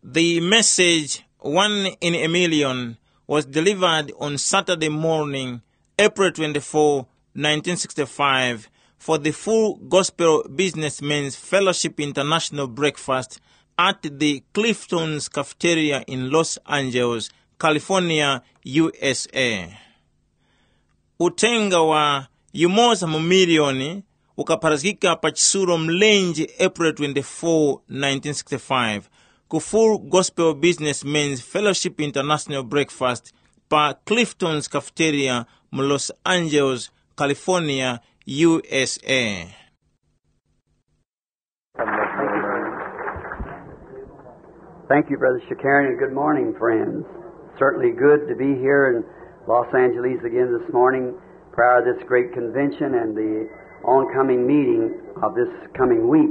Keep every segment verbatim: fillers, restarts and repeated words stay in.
The message, One in a Million, was delivered on Saturday morning, April twenty-fourth, nineteen sixty-five, for the Full Gospel Businessmen's Fellowship International Breakfast at the Clifton's Cafeteria in Los Angeles, California, U S A. Uthenga wa yumoza mu miliyoni ukapharazgika pa chisulo mlenje April twenty-fourth, nineteen sixty-five, ku Full Gospel Businessmen's Fellowship International Breakfast pa Clifton's Cafeteria mu Los Angeles, California, U S A. Thank you, Brother Shakarian, and good morning, friends. Certainly good to be here in Los Angeles again this morning, prior to this great convention and the oncoming meeting of this coming week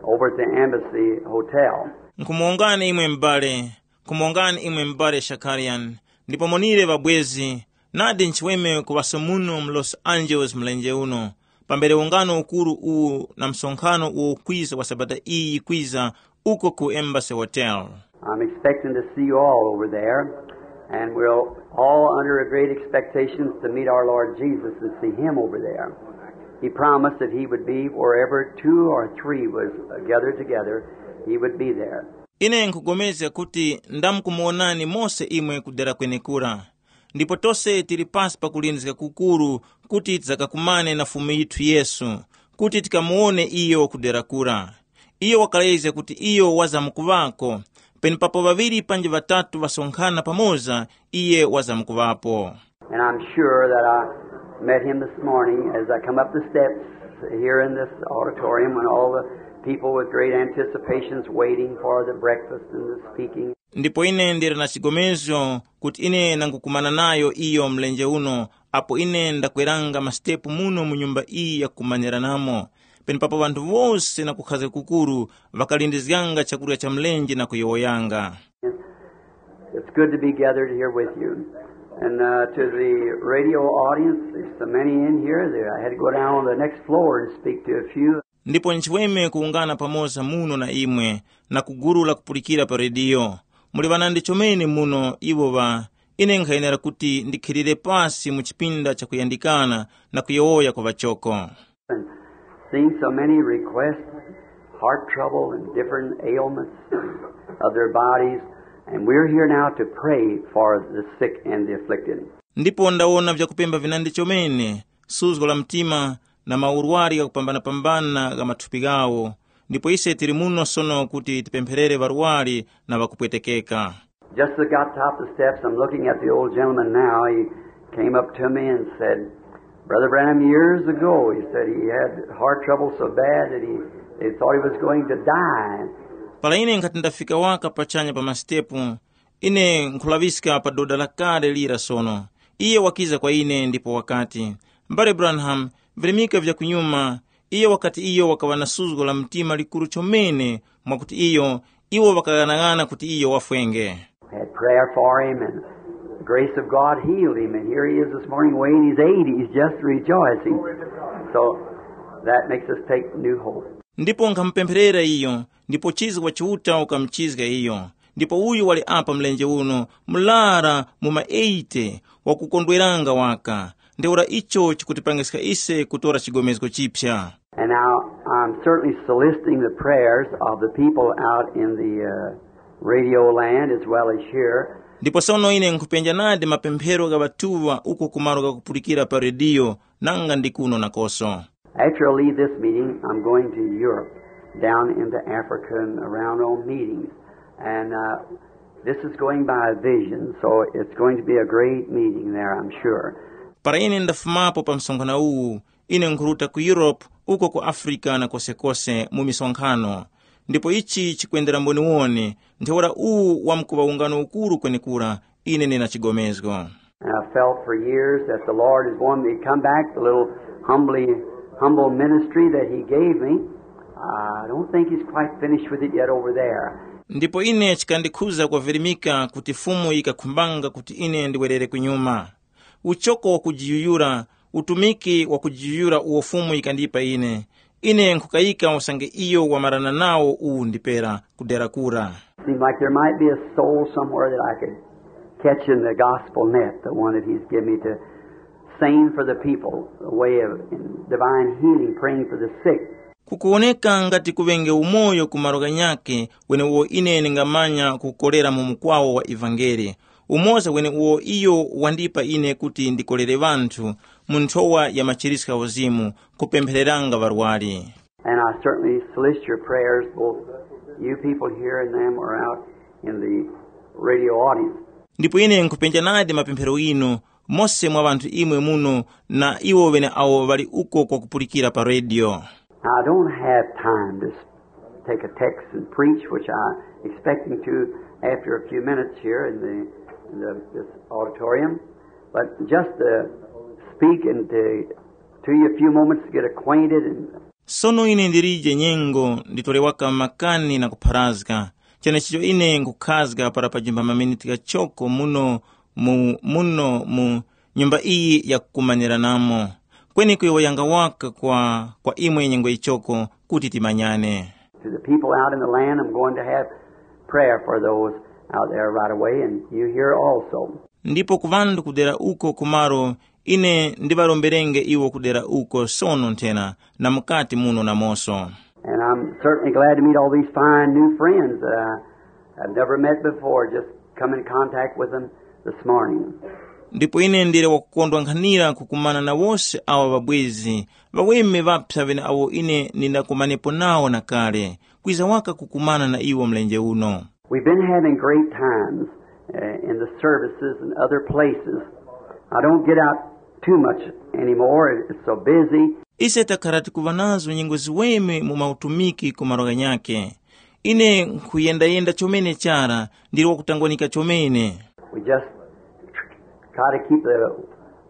over at the Embassy Hotel. Nkhumuwongani imwe m'bale, nkhumuwongani imwe m'bale Shakarian, ndipo monire ŵabwezi, nadi nchiweme kuŵaso muno mu Los Angeles mlenje uno, pambere ungano ukuru uwu na msonkhano uwo ukwiza wa Sabata iyi yikwiza uko ku Embassy Hotel. I'm expecting to see you all over there, and we're all under a great expectations to meet our Lord Jesus and see him over there. He promised that he would be wherever two or three was gathered together, he would be there. Ine nkhupulikana kuti ndamkumuwonani mose imwe kudera kwenekura. Ndipo tose tili pasi pa kulindizika kukuru kuti tidzakakumane na Fumu yithu Yesu, kuti tikamuwone iyo kudera kura. Iyo wakalezga kuti iyo wazamkuŵako, penepapo ŵaŵiri panji ŵatatu ŵasonkhana pamoza, iye wazamkuŵapo. And I'm sure that I met him this morning as I come up the steps here in this auditorium when all the people with great anticipations waiting for the breakfast and the speaking. Ndipo ine ndili na chigomezgo kuti ine nangukumana nayo iyo mlenje uno, apo ine ndakweranga masitepu muno mu nyumba iyi yakumanyiranamo, penepapo ŵanthu wose na kukhazga kukuru ŵakalindizganga chakurya cha mlenje na kuyowoyanga. It's good to be gathered here with you. And uh, to the radio audience, there's so many in here that I had to go down on the next floor and speak to a few. Ndipo nchiweme kuwungana pamoza muno na imwe, na ku gulu lakupulikira pa rediyo. Muli ŵanandi chomene muno iwo ŵa, ine nkhayenera kuti ndikhilire pasi mu chipinda chakuyandikana na kuyowoya kwa ŵachoko. And seen so many requests, heart trouble and different ailments of their bodies, and we're here now to pray for the sick and the afflicted. Ndipo ndawona vyakupemba vinandi chomene, suzgo la mtima na maurwari ghakupambanapambana gha mathupi ghawo. Ndipo ise tili muno sono kuti tipempherere ŵarwari na ŵakupwetekeka. Just as I got top of the steps, I'm looking at the old gentleman now. He came up to me and said, Brother Branham, years ago, he said he had heart trouble so bad that he, they thought he was going to die. Para ine nkhati ndafika waka pachanya pa masitepu, ine nkhulaŵiska pa doda lakale lira sono. Iye wakiza kwa ine ndipo wakati, M'bale Branham, virimika vya kunyuma. Iye wakati iyo wakaŵa na suzgo la mtima likuru chomene, mwakuti iyo, iwo ŵakaghanag'ana kuti iyo wafwenge. We had prayer for him, and the grace of God healed him. And here he is this morning weighing his eighties, just rejoicing. So that makes us take new hope. Ndipo nkhamupempherera iyo, ndipo chizgo wa Chiuta ukamuchizga iyo. Ndipo uyu wali apa mlenje uno, murara mu ma eighty, wakukondweranga waka. Ntheura icho chikutipangiska ise kutora chigomezgo chiphya. And now I'm certainly soliciting the prayers of the people out in the uh, radio land as well as here. Ndipo sono ine nkhupenja nadi mapemphero gha ŵatuŵa uko ku malo ghakupulikira pa rediyo, nanga ndi kuno nakoso. After I leave this meeting, I'm going to Europe, down into Africa and around on meetings. And uh, this is going by a vision, so it's going to be a great meeting there, I'm sure. Para ine ndafumapo pa msonkhano uwu, ine nkhuruta ku Europe, uko ku Africa na kosekose mu misonkhano. Ndipo ichi chikwendera mboniwoni, ntheura uwu wamkuŵa ungano ukuru kwenekura, ine ndina chigomezgo. And I felt for years that the Lord is wanting me to come back, the little humbly, humble ministry that He gave me. I don't think He's quite finished with it yet over there. Ndipo ine chikandikhuza kwavirimika kuti Fumu yikakhumbanga kuti ine ndiwerere kunyuma. Uchoko wakujiyuyura, utumiki wakujiyuyura uwo Fumu yikandipa ine. Ine nkhukayika usange iyo wamarana nawo uwu ndipera kudera kura. Seemed like there might be a soul somewhere that I could catch in the gospel net, the one that he's given me to sing for the people, a way of in divine healing, praying for the sick. Kukuwoneka ngati kuŵenge umoyo ku malo ghanyakhe, wenewo ine ndingamanya kukorera mu mukwawo wa ivangeli. Umoza wenewo iyo wandipa ine kuti ndikorere ŵanthu mu nthowa ya machiriska uzimu, kupemphereranga ŵarwari. And I certainly solicit your prayers, both you people here and them are out in the radio audience. Ndipo ine nkhupenja nadi mapemphero inu, mose mwa ŵanthu imwe muno na iwo ŵene awo ŵali uko kwakupulikira pa rediyo. I don't have time to s- take a text and preach, which I expecting to after a few minutes here in the, in the this auditorium, but just to speak and to, to you a few moments to get acquainted and Sono ine ndilije nyengo nditolewaka makani na kupharazga, chenechicho ine nkhukhazga para pajumba maminiti ghachoko muno mu muno mu nyumba iyi yakukumanyiranamo, kweni kuyowoyanga waka kwa, kwa imwe nyengo ichoko kuti timanyane. To the people out in the land, I'm going to have prayer for those out there right away, and you here also. Ndipo ku ŵanthu kudera uko kumaro, ine ndiŵaromberenge iwo kudera uko sono nthena na mukati muno namoso. And I'm certainly glad to meet all these fine new friends that I have never met before, just come in contact with them this morning. Ndipo ine ndili wakukondwa nkhanira kukumana na wose awa ŵabwezi, ŵaweme ŵapsa ŵene awo ine ndindakumanepo nawo na kale, kwiza waka kukumana na iwo mlenje uno. We've been having great times uh, in the services and other places. I don't get out too much anymore. It's so busy. Ise takhala tikuva nazo nyengo ziweme mu mautumiki ku malo ghanyakhe. Ine nkhuyendayenda chomene chara, ndili wakutangwanika chomene. We just try to keep the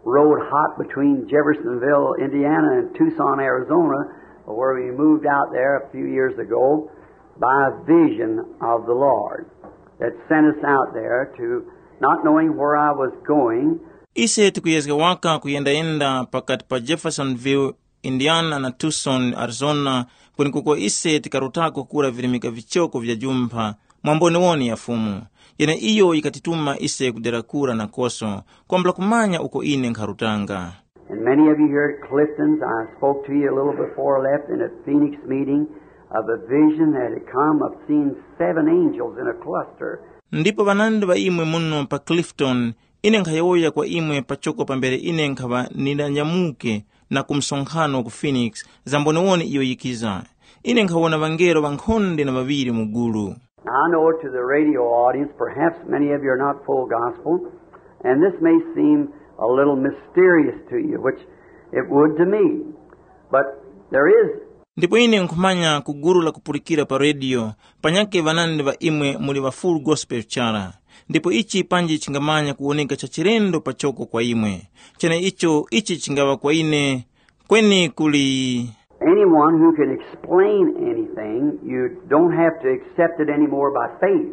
road hot between Jeffersonville, Indiana, and Tucson, Arizona, where we moved out there a few years ago by a vision of the Lord that sent us out there to not knowing where I was going. Ise tikuyezga waka kuyendayenda pakati pa Jeffersonville, Indiana na Tucson, Arizona, kwenekuko ise tikarutako kura virimika vichoko vya jumpha mwa mboniwoni ya Fumu, yene iyo yikatituma ise kudera kura nakoso, kwambula kumanya uko ine nkharutanga. And many of you here at Clifton's, I spoke to you a little before I left in a Phoenix meeting of a vision that had come of seeing seven angels in a cluster. Ndipo ŵanandi ŵa imwe muno pa Clifton, ine nkhayowoya kwa imwe pachoko pambere ine nkhaŵa nindanyamuke na ku msonkhano ku Phoenix, za mboniwoni iyo yikiza. Ine nkhawona ŵangelo ŵankhonde na ŵaŵiri mu gulu. I know to the radio audience, perhaps many of you are not full gospel, and this may seem a little mysterious to you, which it would to me. But there is. Ndipo ine nkhumanya ku gulu la kupulikira pa rediyo, panyakhe ŵanandi ŵa imwe muli ŵa Full Gospel chara. Ndipo ichi panji chingamanya kuwoneka cha chilendo pachoko kwa imwe. Cheneicho ichi chingaŵa kwa ine kweni kuli Anyone who can explain anything, you don't have to accept it anymore by faith.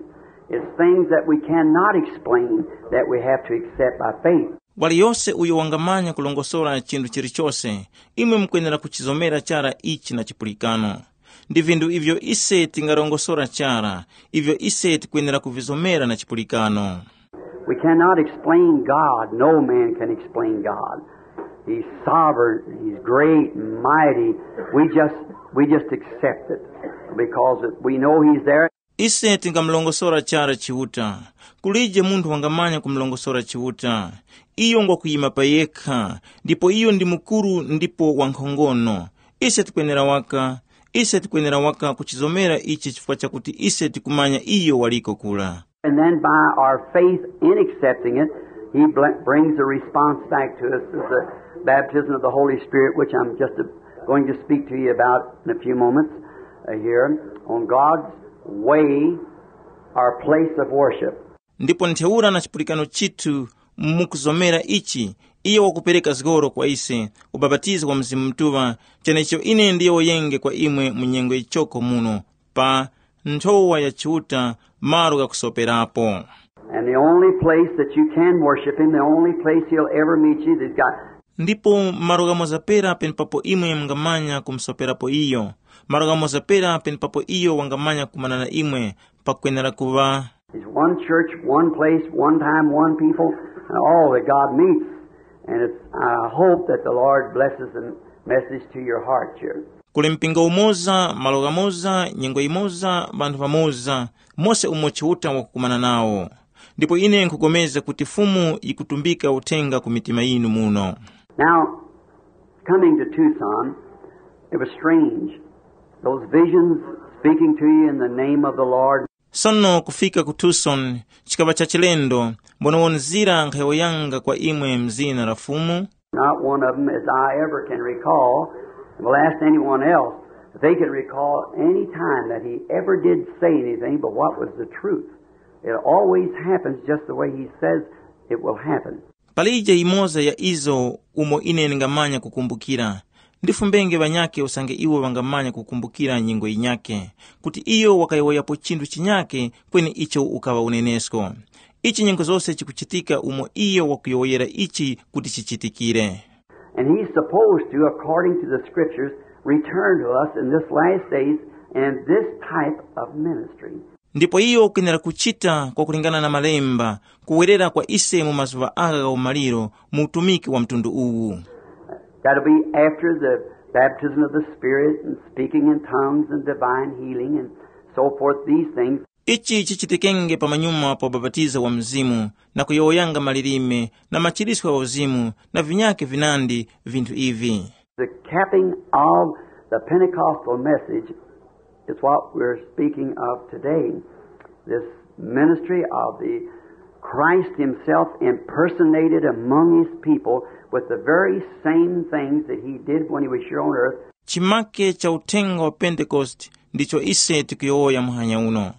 It's things that we cannot explain that we have to accept by faith. Waliyose uyo wangamanya kulongosora chinthu chilichose, imwe mukwenera kuchizomera chara ichi na chipulikano. Ndi vinthu ivyo ise tingarongosora chara, ivyo ise tikwenera kuvizomera na chipulikano. We cannot explain God. No man can explain God. He's sovereign. He's great and mighty. We just, we just accept it because we know He's there. Ise tingamulongosora chara Chiuta. Kulije munthu wangamanya kumulongosora Chiuta. Iyo ngwakuyima pa yekha, ndipo iyo ndi mukuru ndipo wankhongono. Ise tikwenera waka, ise tikwenera waka kuchizomera ichi chifukwa chakuti ise tikumanya iyo waliko kura. And then by our faith in accepting it, he bl- brings a response back to us as the baptism of the Holy Spirit, which I'm just uh, going to speak to you about in a few moments uh, here on God's way, our place of worship. Ndipo ntheura na chipulikano chithu mukuzomera ichi, iyo wakupereka zgoro kwa ise, ubapatizo wa Mzimu Mutuŵa, chenecho ine ndiyowoyenge kwa imwe mu nyengo yichoko muno, pa nthowa ya Chiuta, malo ghakusoperapo. And the only place that you can worship him, the only place he'll ever meet you, he's got Ndipo malo ghamoza pera penepapo imwe mungamanya kumusoperapo iyo, malo ghamoza pera penepapo iyo wangamanya kukumana na imwe, pakwenera kuŵa. It's one church, one place, one time, one people, and all that God meets. And it's, I hope that the Lord blesses the message to your heart here. Kuli mpingo umoza, malo ghamoza, nyengo yimoza, ŵanthu ŵamoza, mose umo Chiuta wakukumana nawo. Ndipo ine nkhupulikana kuti Fumu yikutumbika uthenga ku mitima yinu muno. Now, coming to Tucson, it was strange. Those visions speaking to you in the name of the Lord. Sono kufika ku Tucson chikaŵa cha chilendo, mbonewonzira nkhayowoyanga kwa imwe mzina la Fumu. Not one of them, as I ever can recall, will ask anyone else if they can recall any time that he ever did say anything but what was the truth. It always happens just the way he says it will happen. Palije yimoza ya izo umo ine ndingamanya kukumbukira. Ndifumbenge ŵanyakhe usange iwo ŵangamanya kukumbukira nyengo yinyakhe, kuti iyo wakayowoyapo chinthu chinyakhe kweni icho ukaŵa unenesko. Ichi nyengo zose chikuchitika umo iyo wakuyowoyera ichi kuti chichitikire. And he's supposed to, according to the scriptures, return to us in this last days and in this type of ministry. Ndipo iyo ukwenera kuchita kwakulingana na malemba, kuwerera kwa ise mu mazuŵa agha gha umaliro mu utumiki wa mtundu uwu. That'll be after the baptism of the Spirit and speaking in tongues and divine healing and so forth, these things. Ichi chichitikenge pamanyuma pa ubapatizo wa Mzimu, na kuyowoyanga malilime, na machiriswe gha uzimu, na vinyakhe vinandi vinthu ivi. The capping of the Pentecostal message is what we're speaking of today. This ministry of the Christ himself impersonated among his people with the very same things that he did when he was here on earth. Chimake cha uthenga wa Pentekoste ndicho ise tikuyowoya muhanya uno.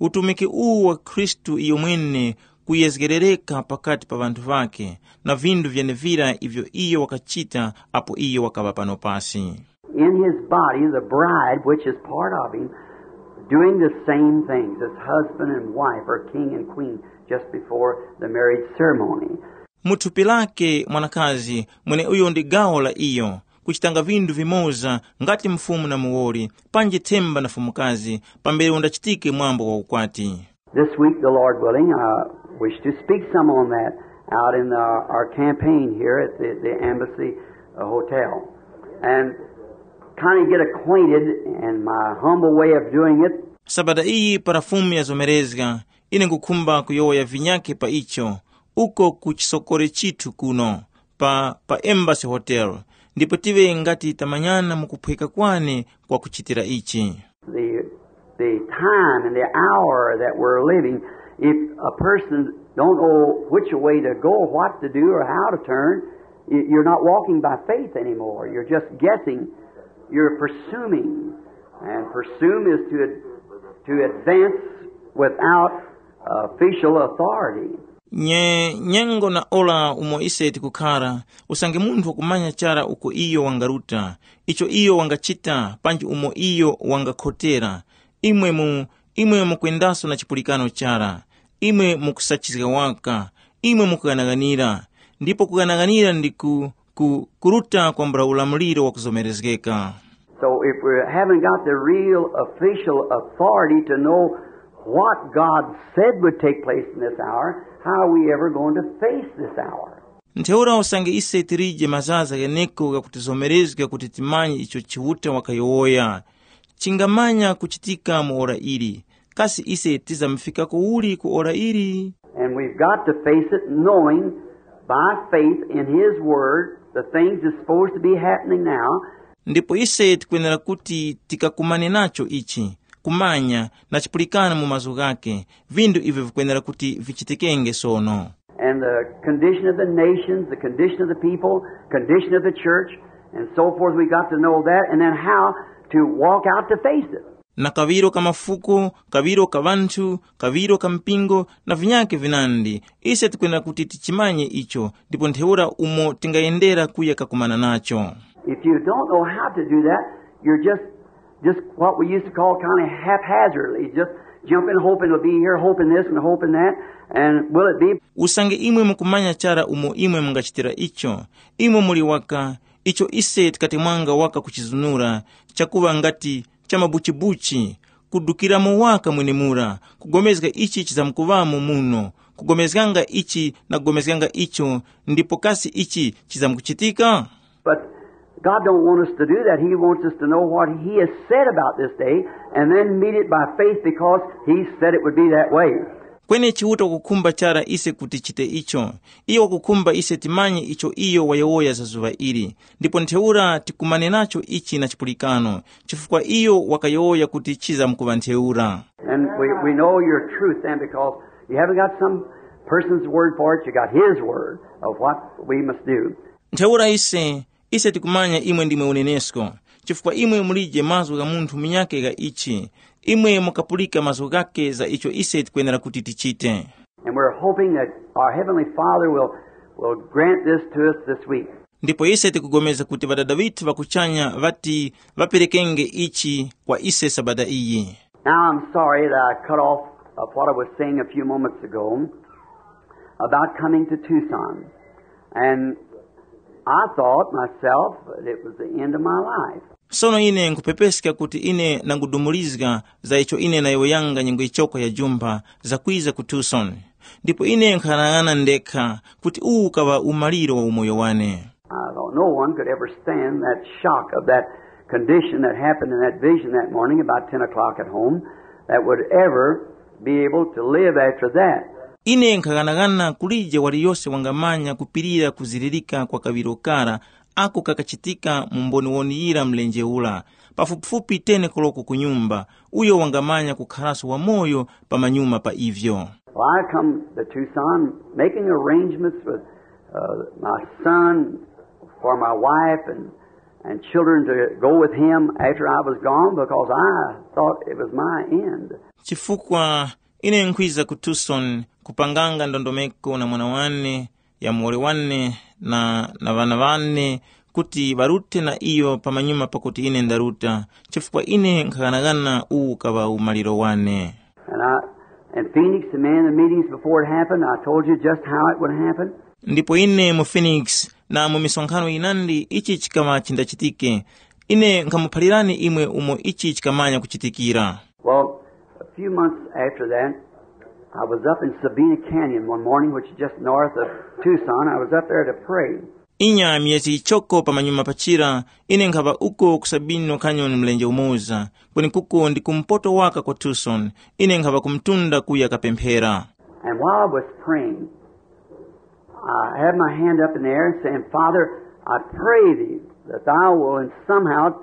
Utumiki uwu wa Khristu iyo mwene kuyezgerereka pakati pa ŵanthu ŵakhe na vinthu vyenevira ivyo iyo wakachita apo iyo wakaŵa pano pasi. In his body, the bride, which is part of him, doing the same things as husband and wife or king and queen just before the marriage ceremony. Mu thupi lake mwanakazi mweneuyo ndi gawo la iyo, kuchitanga vinthu vimoza ngati mfumu na muwoli, panji themba na fumukazi, pambere undachitike mwambo wa ukwati. This week, the Lord willing, I wish to speak some on that out in our, our campaign here at the, the Embassy uh, Hotel and kind of get acquainted in my humble way of doing it. Sabata iyi para Fumu yazomerezga, ine nkukhumba kuyowoya vinyakhe pa icho, uko ku chisokore chithu kuno pa, pa Embassy Hotel, ndipo tive ngati tamanyana mu kuphweka kwane kwa kuchitira ichi. The, the time and the hour that we're living, if a person don't know which way to go, what to do, or how to turn, y- you're not walking by faith anymore. You're just guessing. You're presuming. And presume is to, ad- to advance without official authority. Nye nyengo na ora umo ise tikukhara, usange munthu wakumanya chara uko iyo wangaruta, icho iyo wangachita panji umo iyo wangakhotera, imwe mu imwe mukwendaso na chipulikano chara, imwe mukusachizga waka, imwe mukughanaghanira, ndipo kughanaghanira ndi ku, ku kuruta kwambula ulamuliro wakuzomerezgeka. So if we haven't got the real official authority to know what God said would take place in this hour, how are we ever going to face this hour? Ntheura usange ise tilije mazaza gheneko ghakutizomerezga kuti timanye icho Chiuta wakayowoya chingamanya kuchitika mu ora ili, kasi ise tizamufika kuwuli ku ora ili? And we've got to face it knowing by faith in His Word the things that's supposed to be happening now. Ndipo ise tikwenera kuti tikakumane nacho ichi, kumanya na chipulikano mu mazgu ghake, vindu ivyo vikwenera kuti vichitikenge sono. And the condition of the nations, the condition of the people, condition of the church, and so forth. We got to know that, and then how to walk out to face it. Na kaŵiro ka mafuko, kaŵiro ka ŵanthu, kaŵiro ka mpingo, na vinyakhe vinandi, ise tikwenera kuti tichimanye icho, ndipo ntheura umo tingayendera kuya kakumana nacho. If you don't know how to do that, you're just just what we used to call kind of haphazardly, just jumping, hoping it'll be here, hoping this and hoping that, and will it be? Usange imwe mukumanya chara umo imwe mungachitira icho, imwe muli waka, icho ise tikatemwanga waka kuchizunura, chakuŵa ngati cha mabuchibuchi, kudukiramo waka mwenemura, kugomezga ichi chizamkuŵamo muno, kugomezganga ichi na kugomezganga icho, ndipo kasi ichi chizamkuchitika? But God don't want us to do that. He wants us to know what He has said about this day and then meet it by faith because He said it would be that way. Kweni Chiuta wakukhumba chara ise kuti tichite icho. Iyo wakukhumba ise timanye icho iyo wayowoya za zuŵa ili, ndipo ntheura tikumane nacho ichi na chipulikano, chifukwa iyo wakayowoya kuti chizamkuŵa ntheura. And we, we know your truth then because you haven't got some person's word for it, you got His word of what we must do. Ntheura ise, ise tikumanya imwe ndimwe unenesko, chifukwa imwe mulije mazgu gha munthu munyakhe gha ichi. Imwe mukapulika mazgu ghakhe za icho ise tikwenera kuti tichite. And we're hoping that our Heavenly Father will, will grant this to us this week. Ndipo ise tikugomeza kuti Ŵadada ŵithu ŵa kuchanya ŵati ŵaperekenge ichi kwa ise sabata iyi. Now I'm sorry that I cut off of what I was saying a few moments ago about coming to Tucson. And I thought myself that it was the end of my life. Sono ine nkhupepeska kuti ine nangudumulizga za icho ine nayowoyanga nyengo yichoko ya jumpha zakwiza ku Tucson. Ndipo ine nkhanang'ana ndekha kuti uwu ukaŵa umaliro wa umoyo wane. I thought no one could ever stand that shock of that condition that happened in that vision that morning about ten o'clock at home that would ever be able to live after that. Ine nkhaghanaghana kulije waliyose wangamanya kupirira kuzilirika kwa kaŵiro kara ako kakachitika mu mboniwoni yira mlenje ura, pafupifupi teni koloko ku nyumba, uyo wangamanya kukharaso wamoyo pamanyuma pa ivyo. Well, I come to Tucson making arrangements with uh, my son for my wife and, and children to go with him after I was gone because I thought it was my end. Chifukwa ine nkhwiza ku Tucson kupanganga ndondomeko na mwana wane, ya muwoli wane na, na ŵana wane, kuti ŵarute na iyo pamanyuma pakuti ine ndaruta, chifukwa ine nkhaghanaghana uwu ukaŵa umaliro wane. And I, in Phoenix, and many of the meetings before it happened, I told you just how it would happen. Ndipo ine mu Phoenix na mu misonkhano yinandi ichi chikaŵa chindachitike. Ine nkhamuphalirani imwe umo ichi chikamanya kuchitikira. Well, a few months after that, I was up in Sabina Canyon one morning, which is just north of Tucson. I was up there to pray. Inya myezi yichoko pamanyuma pachira, ine nkhaŵa uko ku Sabino Canyon mlenje umoza, kwenekuko ndi kumpoto waka kwa Tucson. Ine nkhaŵa kumtunda kuya kapemphera. And while I was praying, I had my hand up in the air and saying, Father, I pray thee that thou wilt somehow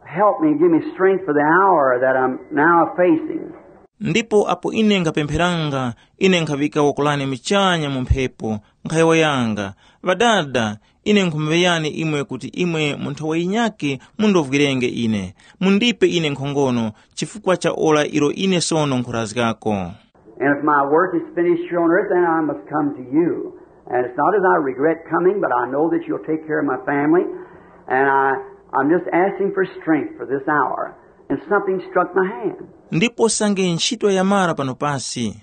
help me, give me strength for the hour that I'm now facing. Ndipo apo ine nkhapempheranga, ine nkhaŵika woko lane muchanya mu mphepo, nkhayowoyanga, Ŵadada, ine nkhumuŵeyani imwe kuti imwe mu nthowa yinyakhe mundovwirenge ine, mundipe ine nkhongono chifukwa cha ora ilo ine sono nkhurazgako. And if my work is finished here on earth, then I must come to you. And it's not as I regret coming, but I know that you'll take care of my family. And I, I'm just asking for strength for this hour. And something struck my hand. Ndipo sange ntchito yamara pano pasi,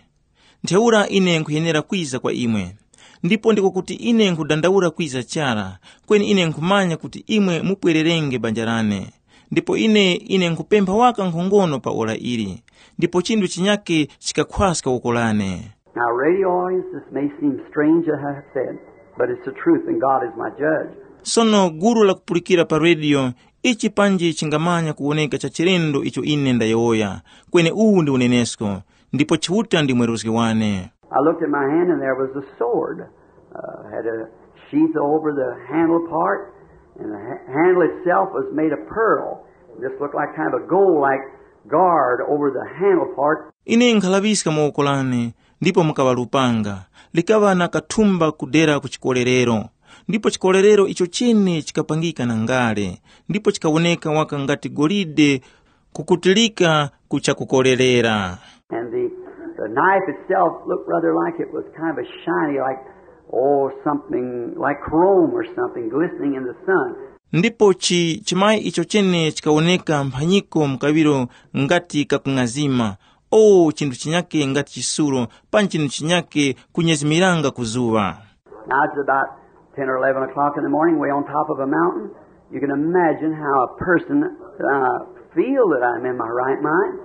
ntheura ine nkhuyenera kwiza kwa imwe. Ndipo ndiko kuti ine nkhudandaura kwiza chara, kweni ine nkhumanya kuti imwe mupwererenge banja lane. Ndipo ine, ine nkhupempha waka nkhongono pa ora ili, ndipo chinthu chinyakhe chikakhwaska woko lane. Now, radio audience, this may seem strange, as I have said, but it's the truth, and God is my judge. Sono gulu lakupulikira pa rediyo, ichi panji chingamanya kuwoneka cha chilendo icho ine ndayowoya, kweni uwu ndi unenesko, ndipo Chiuta ndi mweruzgi wane. I looked at my hand, and there was a sword. Uh, had a sheath over the handle part, and the ha- handle itself was made of pearl. This looked like kind of a gold-like guard over the handle part. Ine nkhalaŵiska mu woko lane, ndipo mukaŵa lupanga, likaŵa na kathumba kudera ku chikolerero, ndipo chikolerero icho chene chikapangika na ngale, ndipo chikawoneka waka ngati golide kukutilika ku chakukolerera. And the, the knife itself looked rather like it was kind of a shiny, like, oh, something like chrome or something glistening in the sun. Ndipo chi chimayi icho chene chikawoneka mphanyiko mkaŵiro ngati kakung'azima, o chinthu chinyake ngati chisulo, panji chinthu chinyake kunyezimiranga ku zuŵa. Now it's about ten or eleven o'clock in the morning, way on top of a mountain. You can imagine how a person uh, feel that I'm in my right mind.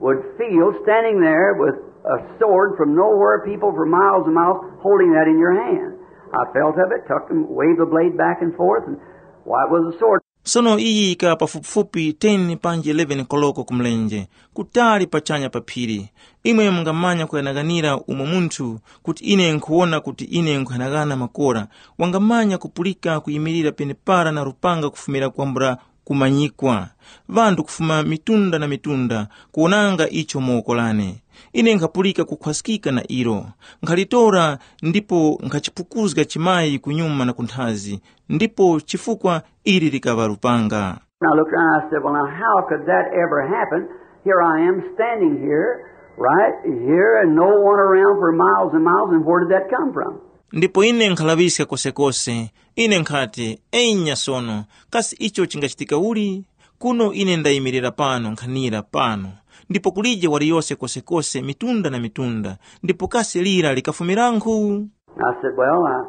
would feel standing there with a sword from nowhere, people for miles and miles, holding that in your hand. I felt of it, took and waved the blade back and forth, and why, it was a sword. Sono iyi yika pafupifupi ten panji eleven koloko ku mlenje, kutali pachanya pa phiri. Imwe mungamanya kuyanaganira umo munthu kuti ine nkhuwona kuti ine nkhuyanagana makora, wangamanya kupulika kuyimirira penepara na lupanga kufumira kwambula kumanyikwa. Ŵanthu kufuma mitunda na mitunda kuwonanga icho mu woko lane. Ine nkhapulika kukhwaskika na ilo. Nkhalitora ndipo nkhachipukuzga chimayi kunyuma na kunthazi, ndipo chifukwa ili likaŵa lupanga. And I looked around and I said, "Well, now, how could that ever happen? Here I am standing here, right here, and no one around for miles and miles, and where did that come from?" Ndipo ine nkhalaŵiska kosekose. Ine nkhati, enya sono, kasi icho chingachitika uli? Kuno ine ndayimirira pano nkhanira pano, ndipo kulije waliyose kosekose mitunda na mitunda, ndipo kasi lira likafumirankhu? I said, "Well, I,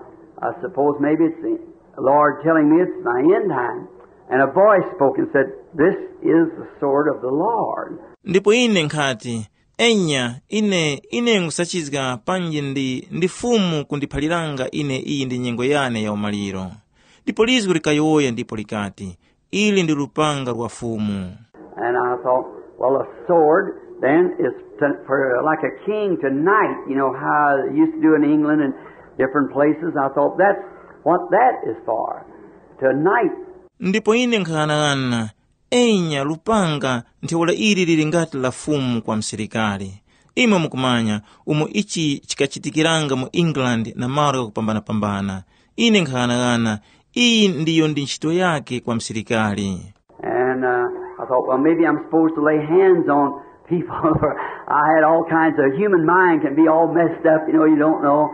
I suppose maybe it's the Lord telling me it's my end time." And a voice spoke and said, "This is the sword of the Lord." Ndipo ine nkhati, enya, ine ine nkhusachizga panji ndi ndi Fumu kundiphaliranga ine iyi ndi nyengo yane ya umaliro. Ndipo lizgu likayowoya ndipo likati, ili ndi lupanga lwa Fumu. And I thought, well, a sword then is to, for like a king to knight, you know, how they used to do in England and different places. I thought that's what that is for, to knight. Ndipo ine nkhang'anang'ana, enya lupanga ntheura ili lili ngati la Fumu kwa msilikari. Imwe mukumanya umo ichi chikachitikiranga mu England na malo ghakupambana-pambana. Ine nkhang'anang'ana, iyi ndiyo ndi ntchito yake kwa msilikari. And uh, I thought, well, maybe I'm supposed to lay hands on people. I had all kinds of, human mind can be all messed up, you know, you don't know.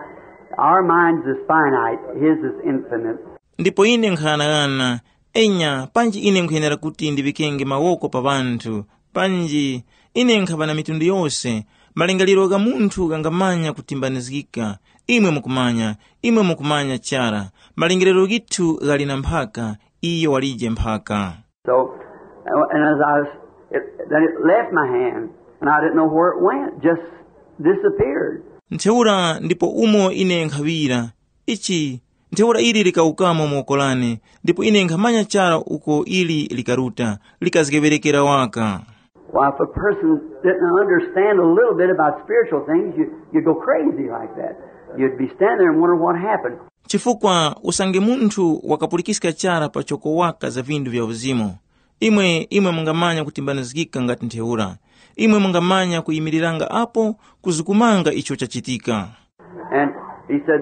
Our mind's is finite, his is infinite. Ndipo ine nkhang'anang'ana, enya, panji ine nkhuyenera kuti ndiŵikenge mawoko pa ŵanthu, panji ine nkhaŵa na mitundu yose, malingaliro gha munthu ghangamanya kutimbanizgika. Imwe mukumanya, imwe mukumanya chara, malingaliro ghithu ghali na mphaka, iyo walije mphaka. So, and as I was, it, then it left my hand, and I didn't know where it went, just disappeared. Ntheura ndipo umo ine nkhaŵira, ichi, ntheura ili likawukamo mu woko lane, ndipo ine nkhamanya chara uko ili likaruta, likazgeŵerekera waka. Why, if a person didn't understand a little bit about spiritual things, you, you'd go crazy like that. You'd be standing there and wonder what happened. Chifukwa usange munthu wakapulikiska chara pachoko waka za vinthu vya uzimu, imwe imwe mungamanya kutimbanizgika ngati ntheura. Imwe mungamanya kuyimiriranga apo kuzukumanga icho chachitika. And he said,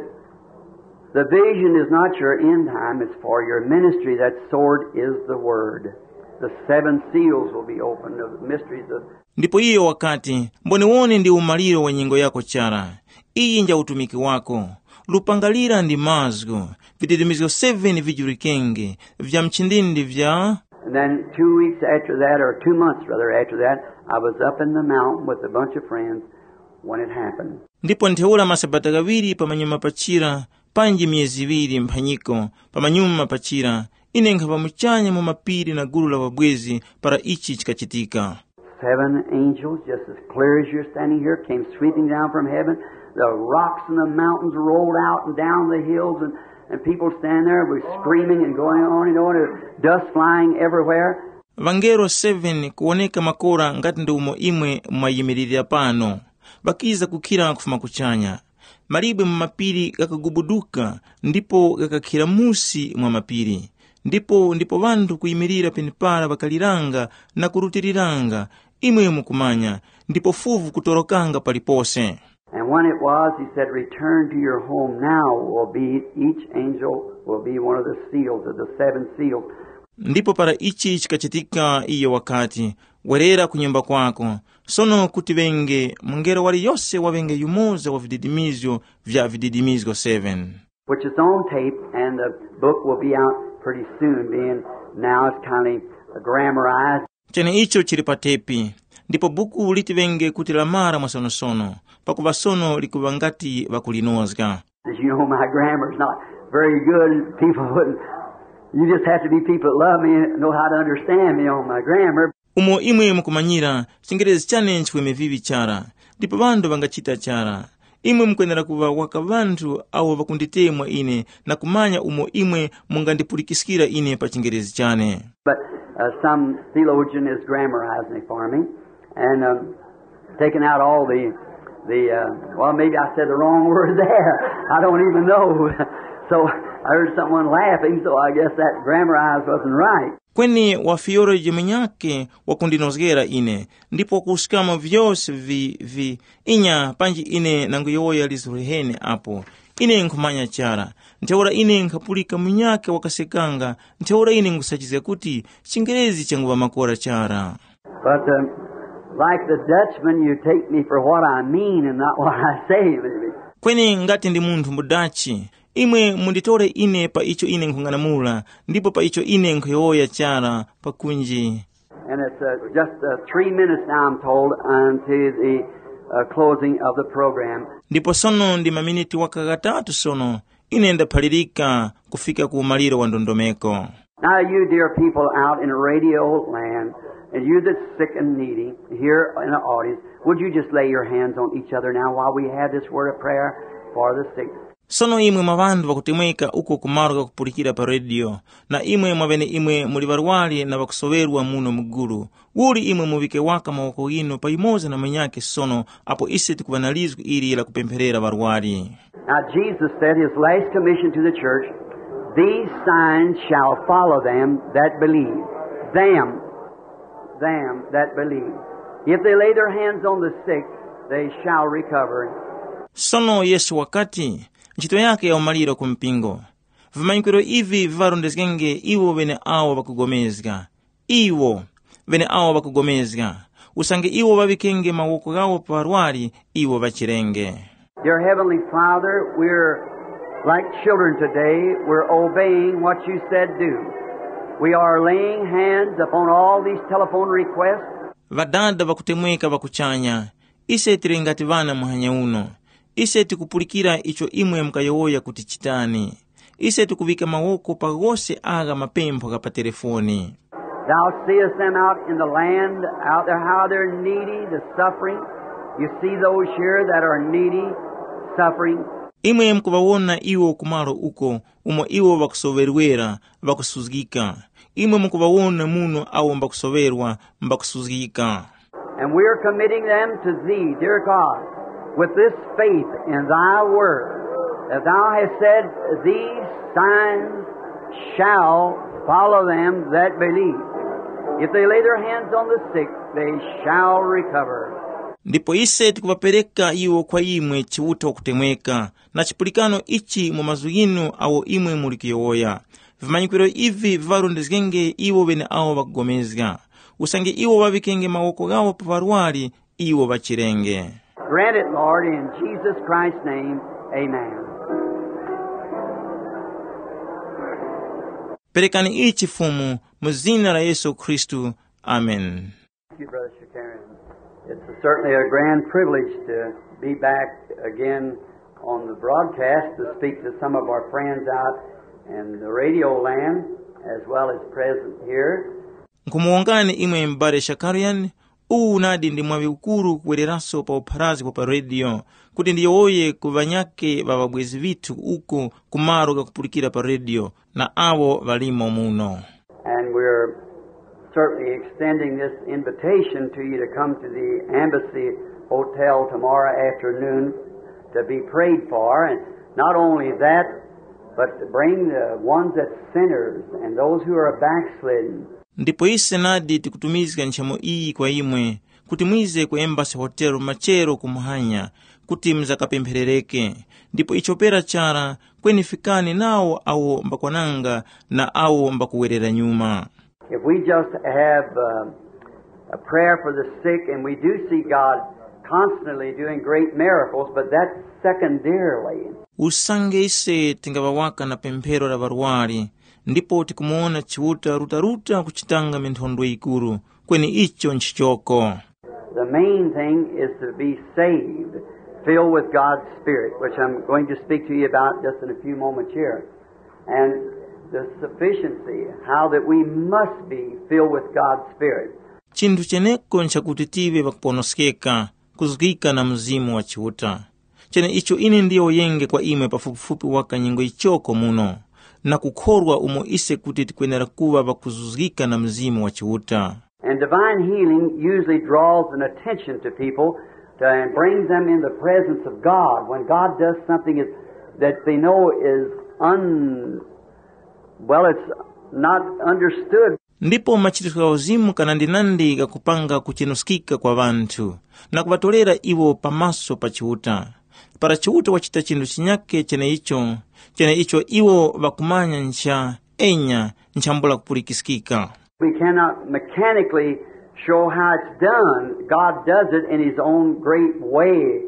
the vision is not your end time, it's for your ministry. That sword is the word. The seven seals will be opened, the mysteries of. Ndipo iyo wakati, mboniwoni ndi umaliro wa nyengo yako chara. Iyi nja utumiki wako. Lupanga lira ndi mazgu, vidirimizgo seven vijulikenge, vya mchindindi vya. And then two weeks after that, or two months rather after that, I was up in the mountain with a bunch of friends when it happened. Ndipo ntheura masabata ghaŵiri pamanyuma pachira, panji myezi iŵiri mphanyiko pamanyuma pachira, ine nkhaŵa muchanya mu mapiri na gulu la ŵabwezi para ichi chikachitika. Seven angels, just as clear as you're standing here, came sweeping down from heaven. The rocks and the mountains rolled out and down the hills, and, and people stand there were screaming and going on and on, and dust flying everywhere. Ŵangelo seven kuwoneka makora ngati ndi umo imwe mwayimiririra pano, ŵakiza kukhira kufuma kuchanya. Malibwe mu mapiri ghakagubuduka ndipo ghakakhira musi mwa mapiri. Ndipo ndipo ŵanthu kuyimirira penepara ŵakaliranga na kurutiriranga, imwe mukumanya, ndipo fuvu kutorokanga palipose. And when it was, he said, return to your home now will be, each angel will be one of the seals of the seven seals. Ndipo para ichi chikachitika, iyo wakati, werera ku nyumba kwako. Sono kuti ŵenge mungelo waliyose waŵenge yumoza wa vididimizgo vya vididimizgo seven. Which is on tape, and the book will be out pretty soon, being now it's kind of grammarized. Cheneicho chili pa tepi, ndipo buku liti ŵenge kuti lamara mwasonosono, pakuŵa sono likuŵa ngati ŵakulinozga. As you know, my grammar's not very good. People wouldn't, you just have to be people that love me and know how to understand me on my grammar. Umo imwe mukumanyira, chingerezi chane nchiweme viŵi chara, ndipo ŵanthu ŵangachita chara. Imwe mukwenera kuŵa waka ŵanthu awo ŵakunditemwa ine na kumanya umo imwe mungandipulikiskira ine pa chingerezi chane. But uh, some theologian is grammarizing it for me and um, taking out all the the. Uh, well, maybe I said the wrong word there. I don't even know. So I heard someone laughing, so I guess that grammarized wasn't right. Kweni wa theology munyakhe wakundinozgera ine, ndipo wakuskama vyose vi, vi inya panji ine nanguyowoya lizo liheni apo. Ine nkhumanya chara. Ntheura ine nkhapulika munyakhe wakasekanga, ntheura ine nkhusachizga kuti chingerezi changuŵa makora chara. But uh, like the Dutchman, you take me for what I mean and not what I say, maybe. Kweni ngati ndi munthu mudachi, imwe munditore ine pa icho ine nkhung'anamula, ndipo pa icho ine nkhuyowoya chara pakunji. And it's uh, just uh, three minutes now, I'm told, unto the uh, closing of the program. Ndipo sono ndi maminiti waka ghatatu sono ine ndaphalirika kufika ku umaliro wa ndondomeko. Now, you dear people out in radio land, and you that's sick and needy here in the audience, would you just lay your hands on each other now while we have this word of prayer for the sick? Sono imwe mwa ŵanthu ŵakutemweka uko ku malo ghakupulikira pa rediyo, na imwe mwaŵeneimwe muli ŵarwari na ŵakusoŵerwa muno mugulu, uli imwe muŵike waka mawoko ghinu pa yumoza na munyakhe sono apo ise tikuŵa na lizgu ili la kupempherera ŵarwari. Now, Jesus said his last commission to the church, "These signs shall follow them that believe." Them, them that believe. If they lay their hands on the sick, they shall recover. Sono Yesu wakati, ntchito yake ya umaliro ku mpingo, vimanyikiro ivi viŵarondezgenge iwo ŵeneawo ŵakugomezga. Iwo, ŵeneawo ŵakugomezga, usange iwo ŵaŵikenge mawoko ghawo pa ŵarwari, iwo ŵachirenge. Dear Heavenly Father, we're like children today. We're obeying what you said do. We are laying hands upon all these telephone requests. Ŵadada ŵakutemweka ŵa kuchanya, ise tili ngati ŵana muhanya uno. Ise tikupulikira icho imwe mukayowoya kuti chitani. Ise tikuŵika mawoko pa ghose agha mapempho gha pa telefoni. Thou seest them out in the land, out there, how they're needy, the suffering. You see those here that are needy, suffering. Imwe mukuŵawona iwo kumalo uko, umo iwo ŵakusoŵerwera, ŵakusuzgika. Imwe mukuŵawona muno awo mbakusoŵerwa, mbakusuzgika. And we are committing them to Thee, dear God, with this faith in Thy Word, that Thou hast said, "These signs shall follow them that believe. If they lay their hands on the sick, they shall recover." Ndipo ise tikuŵapereka iwo kwa imwe Chiuta wakutemweka, na chipulikano ichi mu mazgu ghinu awo imwe muli kuyowoya. Vimanyikiro ivi viŵarondezgenge iwo ŵeneawo ŵakugomezga. Usange iwo ŵaŵikenge mawoko ghawo pa ŵarwari, iwo ŵachirenge. Grant it, Lord, in Jesus Christ's name. Amen. Perekani ichi Fumu, mu zina la Yesu Khristu. Amen. Thank you, Brother Shakarian. It's certainly a grand privilege to be back again on the broadcast to speak to some of our friends out in the radio land as well as present here. Nkhumuwongani imwe m'bale Shakarian, uwu unadi ndi mwaŵi ukuru kuwereranso pa upharazi wa pa rediyo, kuti ndiyowoye ku ŵanyakhe ŵa ŵabwezi ŵithu uko ku malo ghakupulikira pa rediyo na awo ŵalimo muno. And we're certainly extending this invitation to you to come to the Embassy Hotel tomorrow afternoon to be prayed for. And not only that, but to bring the ones that sinners and those who are backslidden. Ndipo ise nadi tikutumizga nchemo iyi kwa imwe, kuti mwize ku Embassy Hotel machero ku muhanya, kuti muzakapempherereke. Ndipo icho pera chara, kweni fikani nawo awo mbakwananga na awo mbakuwerera nyuma. If we just have uh, a prayer for the sick, and we do see God constantly doing great miracles, but that's secondarily. Usange ise tingaŵa waka na pemphero la ŵarwari, ndipo tikumuwona Chiuta rutaruta kuchitanga minthondwe yikuru, kweni icho nchichoko. The main thing is to be saved, filled with God's Spirit, which I'm going to speak to you about just in a few moments here. And the sufficiency, how that we must be filled with God's Spirit. Chinthu cheneko nchakuti tive ŵakuponoskeka, kuzgika na Mzimu wa Chiuta. Cheneicho ine ndiyowoyenge kwa imwe pafupifupi waka nyengo yichoko muno, na kukhorwa umo ise kuti tikwenera kuŵa ŵakuzuzgika na Mzimu wa Chiuta. And divine healing usually draws an attention to people to, and brings them in the presence of God when God does something is, that they know is un, well, it's not understood. Ndipo machiritso gha uzimu kanandinandi ghakupanga kuchenuskika kwa ŵanthu, na kuŵatorera iwo pamaso pa Chiuta. Para Chiuta wachita chinthu chinyake cheneicho, cheneicho iwo ŵakumanya ncha, enya, nchambula kupulikiskika. We cannot mechanically show how it's done. God does it in his own great way.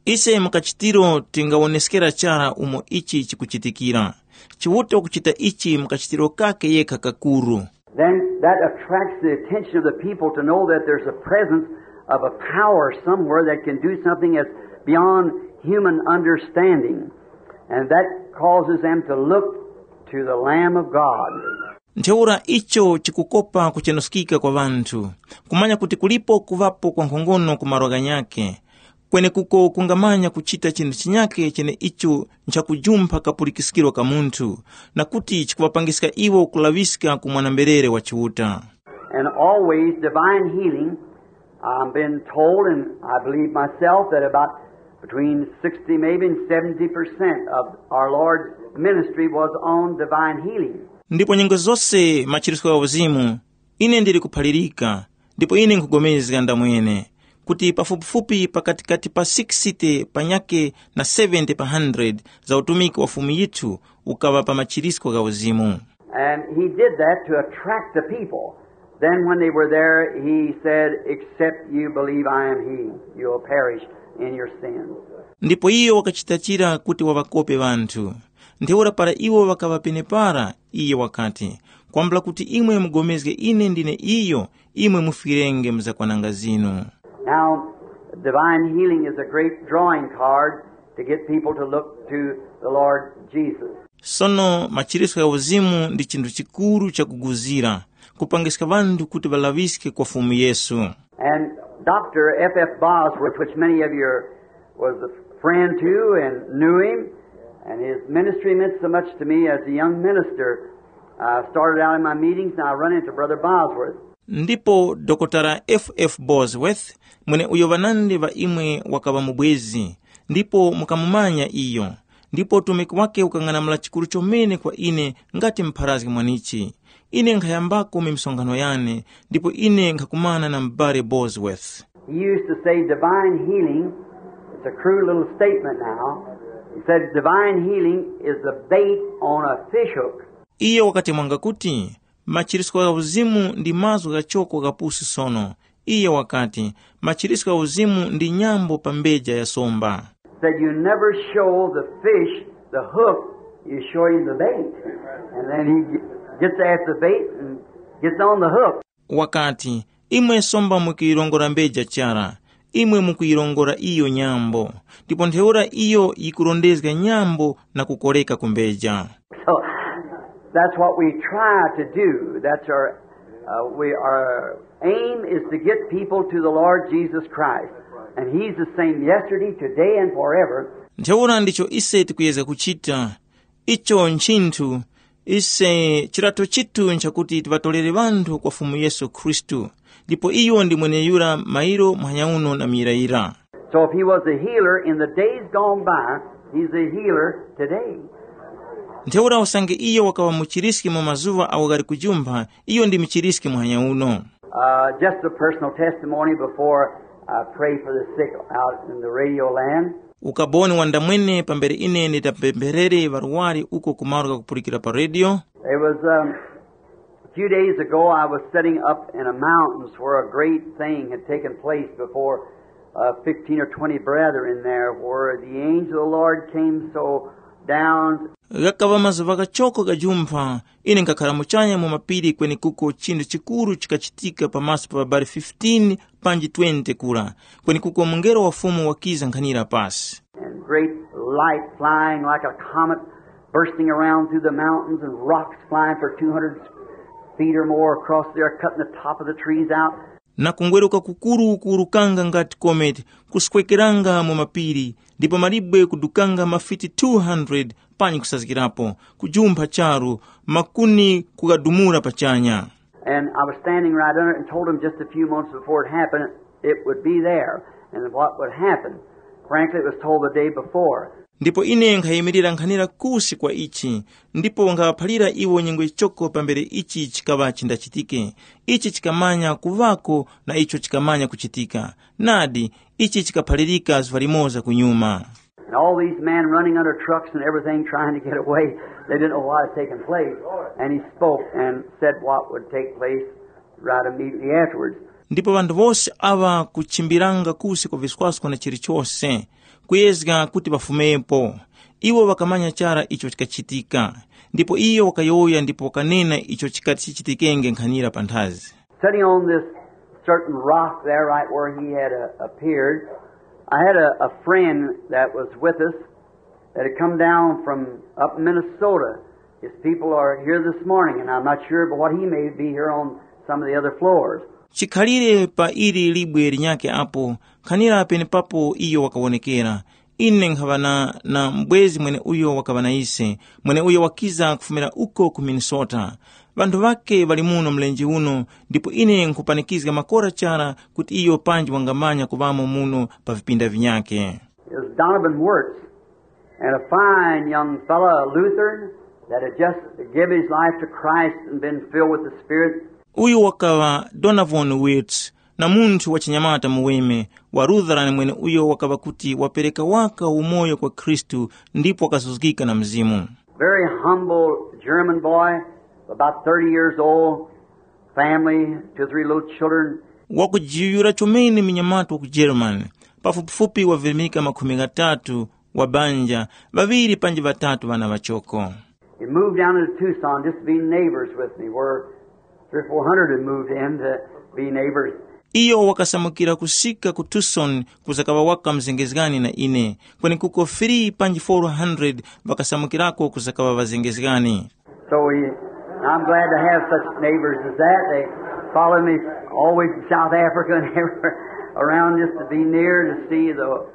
Ise mukachitiro tingawoneskera chara umo ichi chikuchitikira. Chiuta wakuchita ichi mukachitiro kake yekha kakuru. Then that attracts the attention of the people to know that there's a presence of a power somewhere that can do something that's beyond human understanding. And that causes them to look to the Lamb of God. Ntheura icho chikukopa kuchenuskika kwa ŵanthu, kumanya kuti kulipo kuŵapo kwa nkhongono ku malo ghanyakhe, kwenekuko kungamanya kuchita chinthu chinyakhe cheneicho nchakujumpha kapulikiskiro ka munthu, na kuti chikuŵapangiska iwo kulaŵiska ku mwana-mberere wa Chiuta. And always divine healing, I've been told, and I believe myself, that about between sixty, maybe, and seventy percent of our Lord's ministry was on divine healing. Ndipo nyengo zose machiritso gha uzimu, ine ndili kuphalirika, ndipo ine nkhupulikana ndamwene, kuti pafupifupi pakatikati pa sixty panyakhe na seventy pa hundred za utumiki wa Fumu yithu ukaŵa pa machiritso gha uzimu. And he did that to attract the people. Then when they were there, he said, "Except you believe I am he, you will perish in your sins." Ndipo iyo wakachita chira kuti waŵakope ŵanthu. Ntheura para iwo ŵakaŵa penepara, iye wakati, "Kwambula kuti imwe mugomezge ine ndine iyo, imwe mufwirenge mu zakwananga zinu." Now, divine healing is a great drawing card to get people to look to the Lord Jesus. Sono machiritso gha uzimu ndi chinthu chikuru chakuguzira, kupangiska ŵanthu kuti ŵalaŵiske kwa Fumu Yesu. And Doctor F F Bosworth, which many of you was a friend to and knew him, and his ministry meant so much to me as a young minister. I started out in my meetings and I run into Brother Bosworth. Ndipo Dokotala F F Bosworth, mweneuyo ŵanandi ŵa imwe wakaŵa mubwezi, ndipo mukamumanya iyo, ndipo utumiki wake ukang'anamula chikuru chomene kwa ine ngati mpharazgi mwanichi. Ine nkhayambako misonkhano yane, ndipo ine nkhakumana na m'bale Bosworth. He used to say divine healing, it's a crude little statement now. He said divine healing is the bait on a fish hook. Iye wakatemwanga kuti, "Machiritso gha uzimu ndi mazgu ghachoko ghapusi sono." Iye wakati, "Machiritso gha uzimu ndi nyambo pa mbeja ya somba." Said you never show the fish the hook, you show him the bait. And then he gets after the bait and gets on the hook. Wakati, "Imwe somba mukuyirongora mbeja chara, imwe mukuyirongora iyo nyambo, ndipo ntheura iyo yikurondezga nyambo na kukoreka ku mbeja." So that's what we try to do. That's our, uh, we, our aim is to get people to the Lord Jesus Christ. And he's the same yesterday, today, and forever. Ntheura ndicho ise tikuyezga kuchita. Icho nchinthu, ise chilato chithu nchakuti tiŵatolere ŵanthu kwa Fumu Yesu Khristu, ndipo iyo ndi mweneyura mairo muhanya uno na muyirayira. So if he was a healer in the days gone by, he's a healer today. Ntheura usange iyo wakaŵa muchiriski mu mazuŵa awo ghali kujumpha, iyo ndi muchiriski muhanya uno. Uh, just a personal testimony before I pray for the sick out in the radio land. Ukaboni wandamwene pambere ine nditapempherere ŵarwari uko ku malo ghakupulikira pa radio. It was, um, a few days ago I was sitting up in the mountains where a great thing had taken place before, uh, fifteen or twenty brethren there, where the angel of the Lord came so down. Ghakaŵa mazuŵa ghachoko ghajumpha, ine nkhakhara muchanya mu mapiri kwenekuko chinthu chikuru chikachitika pamaso pa ŵabali fifteen panji twenty kura, kwenekuko mungelo wa Fumu wakiza nkhanira pasi. And great light flying like a comet, bursting around through the mountains, and rocks flying for two hundred feet or more across there, cutting the top of the trees out. Na kungweruka kukuru kuwurukanga ngati kometi, kuswekeranga mu mapiri, ndipo malibwe kudukanga mafiti two hundred panyi kusazgirapo, kujumpha charu, makuni kughadumula pachanya. And I was standing right under it and told him just a few moments before it happened, it would be there and what would happen. Frankly, it was told the day before. Ndipo ine nkhayimirira nkhanira kusi kwa ichi, ndipo nkhaŵaphalira iwo nyengo yichoko pambere ichi chikaŵa chindachitike. Ichi chikamanya kuŵako na icho chikamanya kuchitika. Nadi, ichi chikaphalirika zuŵa limoza kunyuma. And all these men running under trucks and everything trying to get away, they didn't know what was taking place. And he spoke and said what would take place right immediately afterwards. Ndipo ŵanthu wose aŵa kuchimbiranga kusi kwa viswasko na chilichose, kuyezga kuti ŵafumepo. Iwo ŵakamanya chara icho chikachitika. Ndipo iyo wakayowoya ndipo wakanena icho chikati chichitikenge nkhanira panthazi. Sitting on this certain rock there, right where he had uh, appeared, I had a, a friend that was with us that had come down from up in Minnesota. His people are here this morning, and I'm not sure but what he may be here on some of the other floors. Chikhalire pa ili libwe linyakhe apo, nkhanira penepapo iyo wakawonekera. Ine nkhaŵa na, na mbwezi mweneuyo wakaŵa na ise, mweneuyo wakiza kufumira uko ku Minnesota. Ŵanthu ŵakhe ŵali muno mlenje uno, ndipo ine nkhupanikizga makora chara kuti iyo panji wangamanya kuŵamo muno pa vipinda vinyakhe. Is Donovan Wirtz, and a fine young fellow, a Lutheran, that had just given his life to Christ and been filled with the Spirit. Uyu wakaŵa Donovan Wirtz, na munthu wachinyamata muweme, wa Lutheran mweneuyo wakaŵa kuti wapereka waka umoyo kwa Khristu ndipo wakazuzgika na Mzimu. Very humble German boy, about thirty years old, family, two or three little children. Wakujiyuyura chomene munyamata wa ku Germany, pafupifupi wavirimika makhumi ghatatu, wa banja, ŵaŵiri panji ŵatatu ŵana ŵachoko. He moved down into Tucson just to be neighbors with me, where three or four hundred had moved in to be neighbors. Iyo wakasamukira kusika ku Tucson kuzakaŵa waka mzengezgani na ine, kwenekuko three panji four hundred ŵakasamukirako kuzakaŵa ŵazengezgani. So we, I'm glad to have such neighbors as that. They follow me always to South Africa and everywhere around just to be near to see the,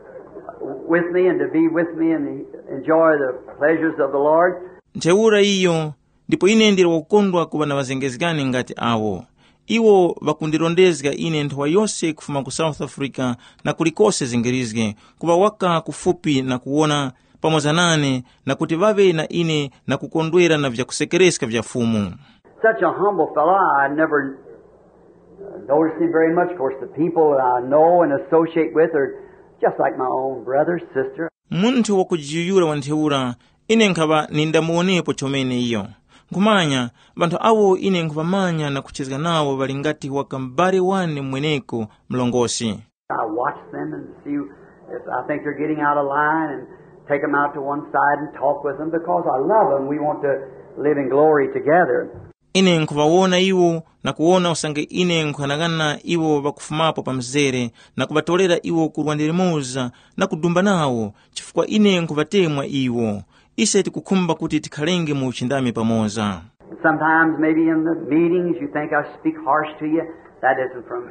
with me and to be with me and enjoy the pleasures of the Lord. Ntheura iyo, ndipo ine ndili wakukondwa kuŵa na ŵazengezgani ngati awo. Iwo ŵakundirondezga ine nthowa yose kufuma ku South Africa na kulikose zingirizge, kuŵa waka kufupi na kuwona pamoza nane na kuti ŵaŵe na ine na kukondwera na vyakusekereska vya Fumu. Such a humble fellow, I never uh, noticed him very much. Of course, the people that I know and associate with are just like my own brother, sister. Munthu wakujiyuyura wa ntheura, ine nkhaŵa nindamuwonepo chomene iyo. Nkhumanya, ŵanthu awo ine nkhuŵamanya na kuchezga nawo ŵali ngati waka m'bale wane mweneko mlongosi. I watch them and see if I think they're getting out of line and take them out to one side and talk with them because I love them. We want to live in glory together. Ine nkhuŵawona iwo na kuwona usange ine nkhughanaghana iwo ŵakufumapo pa mzere na kuŵatorera iwo ku lwande limoza na kudumba nawo, chifukwa ine nkhuŵatemwa iwo. Ise tikukhumba kuti tikhalenge mu uchindami pamoza. Sometimes maybe in the meetings you think I speak harsh to you. That isn't from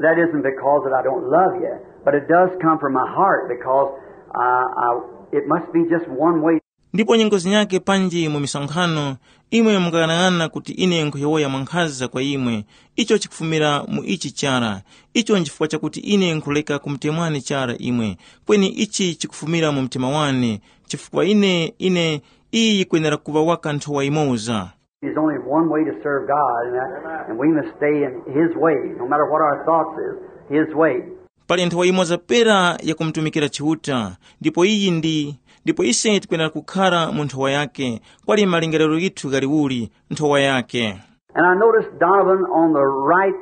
that isn't because that I don't love you, but it does come from my heart because uh, I, it must be just one way. Ndipo nyengo zinyakhe panji mu misonkhano, imwe mukaghanag'ana kuti ine nkhuyowoya mwankhaza kwa imwe, icho chikufumira mu ichi chara, icho nchifukwa chakuti ine nkhureka kumutemwani chara imwe, kweni ichi chikufumira mu mtima wane, chifukwa ine, ine, iyi yikwenera kuŵa waka nthowa yimoza. There's only one way to serve God, and, that, and we must stay in His way, no matter what our thoughts is, His way. Pali nthowa yimoza pera yakumutumikira Chiuta, ndipo iyi ndi, ndipo ise tikwenera kukhara mu nthowa yake, kwali malingaliro ghithu ghaliuli, nthowa yake. And I noticed Donovan on the right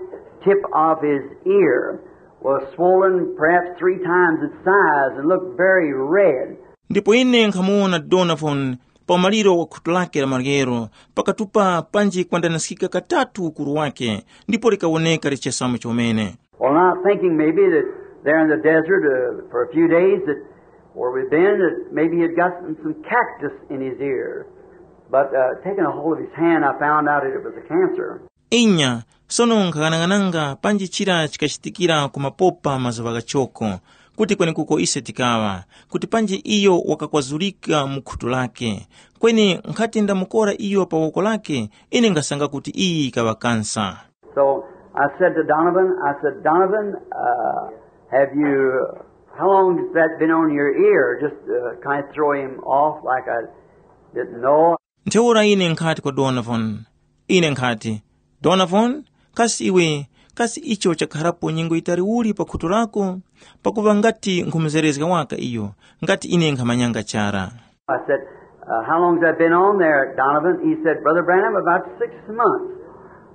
tip of his ear was swollen perhaps three times its size and looked very red. Ndipo ine nkhamuwona Donovan pa umaliro wa khutu lake la maryero, pakatupa panji kwandanaskika katatu ukuru wake, ndipo likawoneka lichesamu chomene. Well, not thinking maybe that there in the desert uh, for a few days that where we've been, that maybe he had gotten some cactus in his ear. But uh, taking a hold of his hand, I found out that it was a cancer. Inya, sono nkhaghanaghananga panji chira chikachitikira ku mapopa mazuŵa ghachoko, kuti kwenekuko ise tikaŵa, kuti panji iyo wakakwazulika mu khutu lake. Kweni nkhati ndamukora iyo pa woko lake, ine nkhasanga kuti iyi yikaŵa kansa. So I said to Donovan, I said, Donovan, uh, have you, how long has that been on your ear? Just uh, kind of throw him off like I didn't know. Ntheura ine nkhati kwa Donovan, ine nkhati, Donovan, kasi iwe, kasi icho chakharapo nyengo yitali uli pa khutu lako? Pakuva ngati nkhumuzerezga waka iyo, ngati ine nkhamanyanga chara. I said, uh, how long has that been on there, Donovan? He said, Brother Branham, about six months.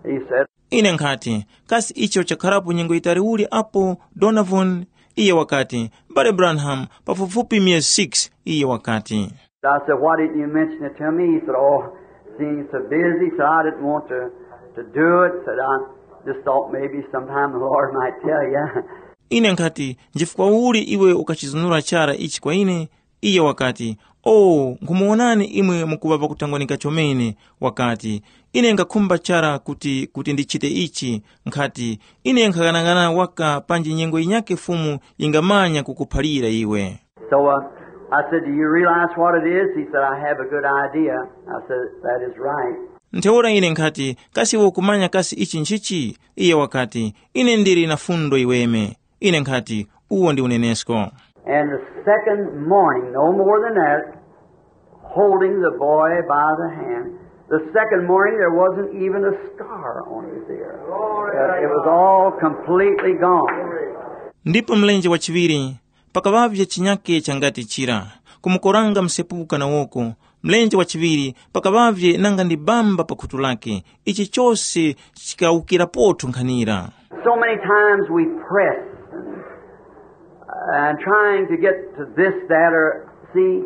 He said, Ine nkhati, kasi icho chakharapo nyengo yitali uli apo, Donovan? Iye wakati, Mbale Branham, pafupifupi myezi six, iye wakati. I said, why didn't you mention it to me? He said, oh, seems so busy, so I didn't want to, to do it. Said, I just thought maybe sometime the Lord might tell you. Ine nkhati, nchifukwa uli iwe ukachizunura chara ichi kwa ine? Iye wakati, o, nkhumuwonani imwe mukuŵa pakutangwanika chomene. Wakati, ine nkhakhumba chara kuti kuti ndichite ichi. Nkhati, ine nkhaghanaghananga waka panji nyengo yinyakhe Fumu yingamanya kukuphalira iwe. So uh, I said, do you realize what it is? He said, I have a good idea. I said, that is right. Ntheura ine nkhati, kasi iwe ukumanya kasi ichi nchichi? Iye wakati, ine ndili na fundo yiweme. Ine nkhati, uwo ndi unenesko. And the second morning, no more than that, holding the boy by the hand, the second morning there wasn't even a scar on his ear. Uh, it was all completely gone. Ndipo mlenje wachiŵiri, pakaŵavye chinyake changati chira, kumukoranga msepuka na woko, mlenje wachiŵiri pakaŵavye nanga ndi bamba pa khutu lake, ichi chose chikawukirapotu nkhanira. So many times we press and trying to get to this, that, or see,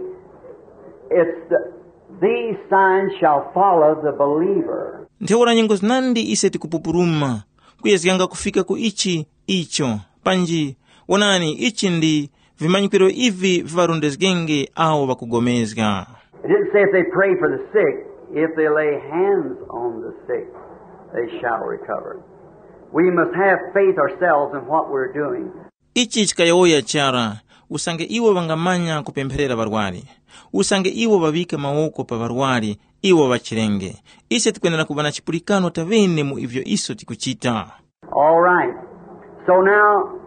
it's the, these signs shall follow the believer. Ntheura nyengo zinandi ise tikupupuruma, kuyezganga kufika ku ichi, icho, panji, wonani, ichi ndi vimanyikiro ivi viŵarondezgenge awo ŵakugomezga. It didn't say if they pray for the sick, if they lay hands on the sick, they shall recover. We must have faith ourselves in what we're doing. Ichi chikayowoya chara, usange iwo ŵangamanya kupempherera ŵarwari, usange iwo ŵaŵike mawoko pa ŵarwari, iwo ŵachirenge. Ise tikwenera kuŵa na chipulikano taŵene mu ivyo iso tikuchita. All right. So now,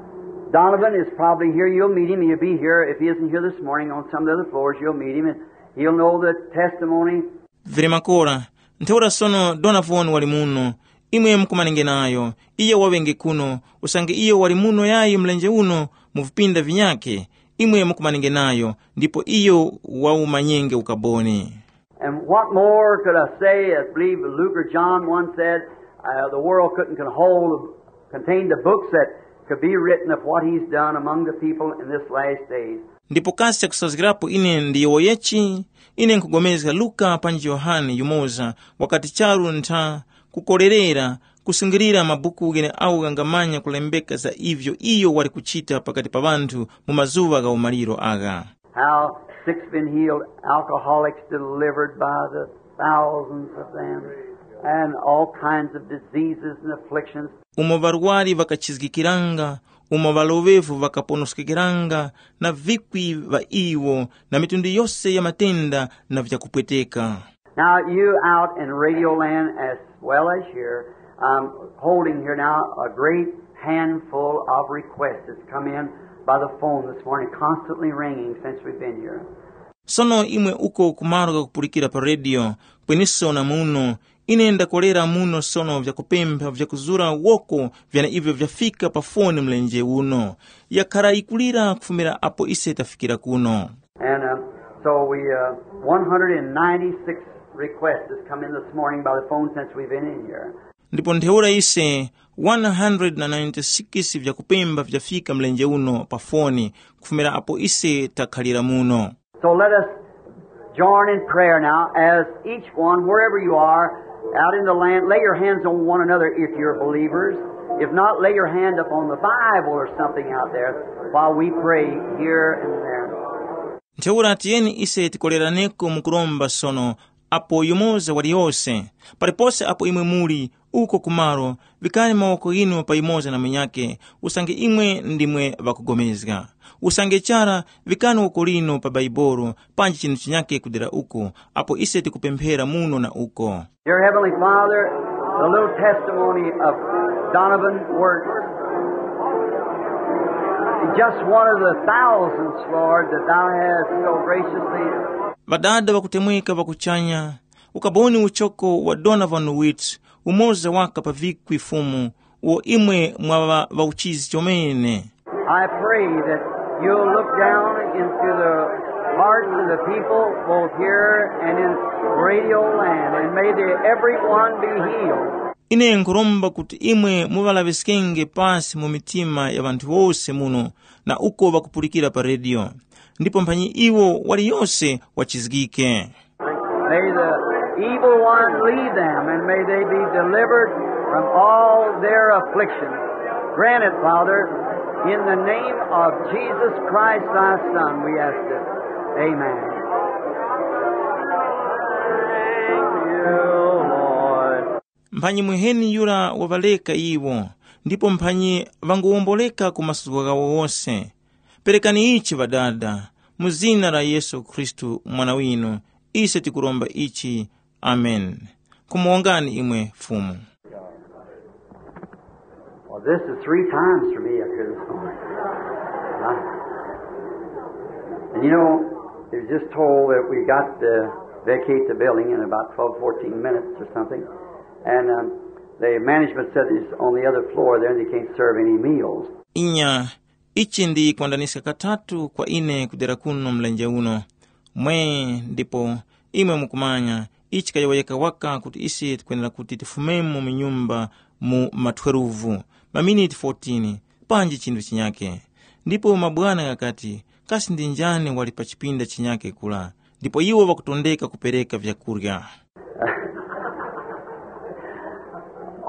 Donovan is probably here. You'll meet him. He'll be here. If he isn't here this morning on some of the other floors, you'll meet him, and he'll know the testimony. Vili makora, ntheura sono Donovan wali muno. Imwe mukumanenge nayo. Iyo waŵenge kuno, usange iyo wali muno yayi mlenje uno mu vipinda vinyakhe. Imwe mukumanenge nayo, ndipo iyo wawumanyenge ukaboni. And what more could I say? I believe Luke or John one said, uh, the world couldn't con- hold, contain the books that could be written of what he's done among the people in this last days. Ndipo kasi chakusazgirapo ine ndiyowoyechi? Ine nkugomezga Luka panji Yohane yumoza wakati charu ntha kukorerera kusungilira mabuku gheneagho ghangamanya kulembeka za ivyo iyo wali kuchita pakati pa ŵanthu mu mazuŵa gha umaliro agha. How sick's been healed, alcoholics delivered by the thousands of them, and all kinds of diseases and afflictions. Umo ŵarwari ŵakachizgikiranga, umo ŵaloŵevu ŵakaponoskekera, na vikwi ŵa iwo, na mitundu yose ya matenda na vyakupweteka. Now you out in radio land as well as here, um, holding here now a great handful of requests that's come in by the phone this morning, constantly ringing since we've been here. Sono imwe uko kumaro ghakupulikira pa rediyo, kweniso na muno, ine ndakolera muno sono vyakupempha vyakuzura woko vyana ivyo vyafika pa foni mlenje uno, yakhara yikulira kufumira apo ise tafikira kuno. And uh, so we, uh, one hundred ninety-six requests has come in this morning by the phone since we've been in here. Ndipo ntheura ise one hundred ninety-six vyakupemba vyafika mlenje uno pa foni kufumira apo ise takhalira muno. So let us join in prayer now as each one, wherever you are, out in the land, lay your hands on one another if you're believers. If not, lay your hand upon the Bible or something out there while we pray here and there. Ntheura tiyeni ise tikoleraneko mu kuromba sono, apo yumoza waliyose, palipose apo imwe muli, Uko kumaro, vikani mawoko ghinu payimoza na munyakhe, usange imwe ndimwe ŵakugomezga. Usange chara, vikani woko linu pa Baibolo, panji chinthu chinyakhe kudera uko, apo ise tikupemphera muno na uko. Dear Heavenly Father, the little testimony of Donovan Works, just one of the thousands, Lord, that thou hast so graciously. Ŵadada ŵakutemweka ŵakuchanya, ukaboni uchoko wa Donovan Witts, umoza waka pa vikwi Fumu, uwo imwe mwaŵa ŵauchizi chomene. I pray that you'll look down into the hearts of the people both here and in radio land, and may they everyone be healed. Ine nkhuromba kuti imwe muŵalaŵiskenge pasi mu mitima ya ŵanthu wose muno na uko ŵakupulikira pa rediyo, ndipo mphanyi iwo waliyose wachizgike. May the evil one leave them, and may they be delivered from all their afflictions. Grant it, Father, in the name of Jesus Christ, thy Son, we ask it. Amen. Thank you, Lord. Mphanyi muheni yura waŵaleka iwo, ndipo mphanyi ŵangowomboleka ku masuzgo ghawo wose. Perekani ichi Ŵadada, mu zina la Yesu Khristu Mwana winu, ise tikuromba ichi. Amen. Kumuwongani imwe Fumu. Well, this is three times for me up here this morning. Uh, and you know, it was just told that we got to vacate the building in about twelve, fourteen minutes or something. And um, the management said it's on the other floor there and they can't serve any meals. Inya, ichi ndi kwandaniska katatu kwa ine kudera kuno mlenje uno. Mwe, ndipo imwe mukumanya, ichi kayowoyeka waka kuti ise tikwenera kuti tifumemo mu nyumba mu ma twelve, maminiti fourteen, panji chinthu chinyake. Ndipo mabwana ghakati, kasi ndi njani wali pa chipinda chinyake kula? Ndipo iwo ŵakutondeka kupereka vyakurya.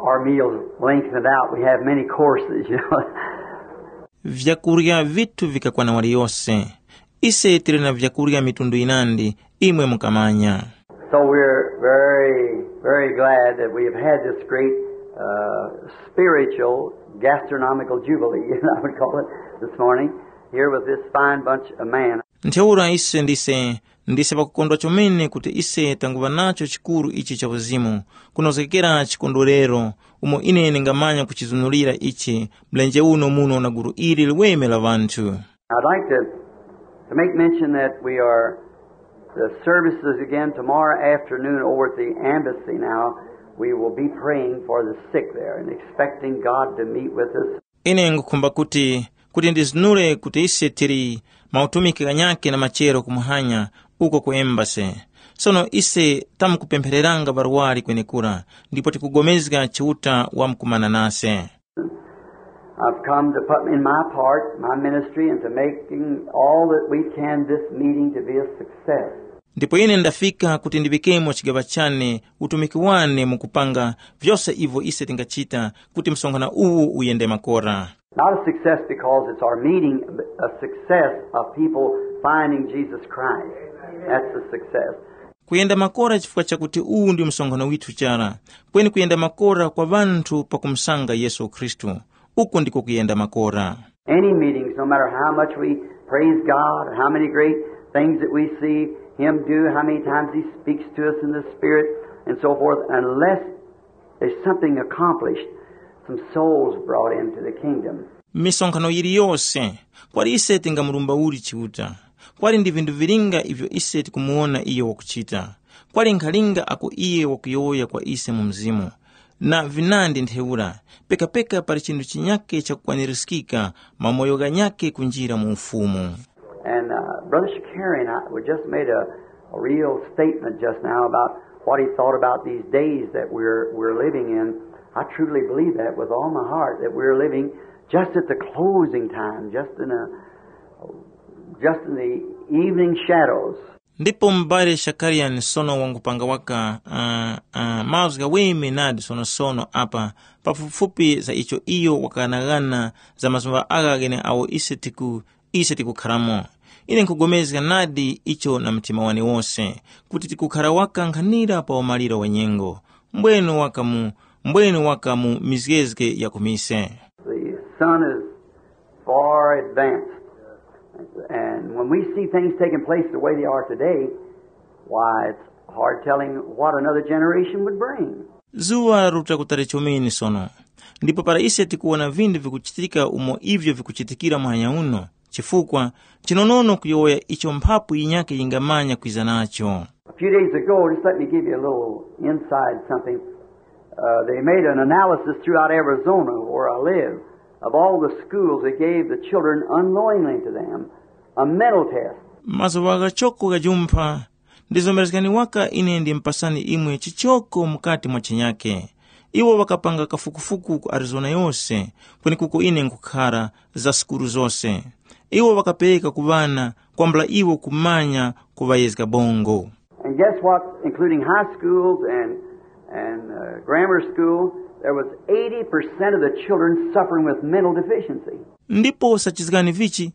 Our meals lengthened out. We have many courses, you know. Vyakurya vitu vikakwana waliyose. Ise tili na vyakurya mitundu yinandi, imwe mukamanya. So we're very, very glad that we have had this great uh, spiritual gastronomical jubilee, I would call it, this morning, here with this fine bunch of men. Ntheura ise ndise ndise ŵakukondwa chomene kuti ise tanguŵa nacho chikuru ichi cha uzimu, kunozgekera chikondwerero, umo ine ndingamanya kuchizunulira ichi mlenje uno muno na gulu ili liweme la ŵanthu. I'd like to, to make mention that we are the services again tomorrow afternoon over at the embassy now. We will be praying for the sick there and expecting God to meet with us. Ine ngukhumba kuti kuti ndizunule kuti ise tili mautumiki ghanyakhe na machero kumuhanya uko ku embase. Sono ise tamkupemphereranga ŵarwari kwenekura, ndipo tikugomezga Chiuta wamkumana nase. I've come to put in my part, my ministry, into making all that we can this meeting to be a success. Ndipo ine ndafika kuti ndiŵikemo chigaŵa chane utumiki wane mu kupanga vyose ivyo ise tingachita kuti msonkhano uwu uyende makora. Not a success because it's our meeting, but a success of people finding Jesus Christ. That's the success. Kuyenda makora chifukwa chakuti uwu ndi msonkhano withu chara, kweni kuyenda makora kwa ŵanthu pakumusanga Yesu Khristu. Uku ndiko kuyenda makora. Any meetings, no matter how much we praise God, how many great things that we see Him do, how many times He speaks to us in the Spirit, and so forth, unless there's something accomplished, some souls brought into the kingdom. Misonkhano yiliyose, kwali ise tingamulumba uli Chiuta, kwali ndi vinthu vilinga ivyo ise tikumuwona iyo wakuchita, kwali nkhalinga ako iye wakuyowoya kwa ise mu mzimu, na vinandi ntheura, pekapeka pali chinthu chinyakhe chakukwanirizgika, mamoyo ghanyakhe kunjira mu Ufumu. And uh, Brother Shakarian, I, we just made a, a real statement just now about what he thought about these days that we're, we're living in. I truly believe that with all my heart, that we're living just at the closing time, just in a, just in the evening shadows. Ndipo m'bale Shakarian sono wangupanga waka uh, uh, mazgu ghaweme nadi sonosono apa pafupifupi za icho iyo wakaghanagana za mazuŵa agha gheneagho ise tiku ise tikukharamo. Ine nkhugomezga nadi icho na mtima wane wose, kuti tikukhara waka nkhanira pa umaliro wa nyengo. Mbwenu waka mu mbwene waka mu mizgezge ya ku mise. The sun is far advanced. And when we see things taking place the way they are today, why, it's hard telling what another generation would bring. Zuŵa laruta kutali chomene sono, ndipo para ise tikuwona vinthu vikuchitika umo ivyo vikuchitikira muhanya uno, chifukwa chinonono kuyowoya icho mphapu yinyakhe yingamanya kwiza nacho. A few days ago, just let me give you a little inside something. Uh, they made an analysis throughout Arizona, where I live, of all the schools that gave the children unknowingly to them a mental test. Mazuŵa ghachoko ghajumpha, ndizomerezgani waka ine ndimupasani imwe chichoko mukati mwa chinyake. Iwo ŵakapanga kafukufuku ku Arizona yose, kwenekuko ine nkhukhara, za sukulu zose. Iwo ŵakapereka ku ŵana kwambula iwo kumanya kuŵayezga bongo. And guess what? Including high schools and, and uh, grammar school, there was eighty percent of the children suffering with mental deficiency. Ndipo sachizgani vichi,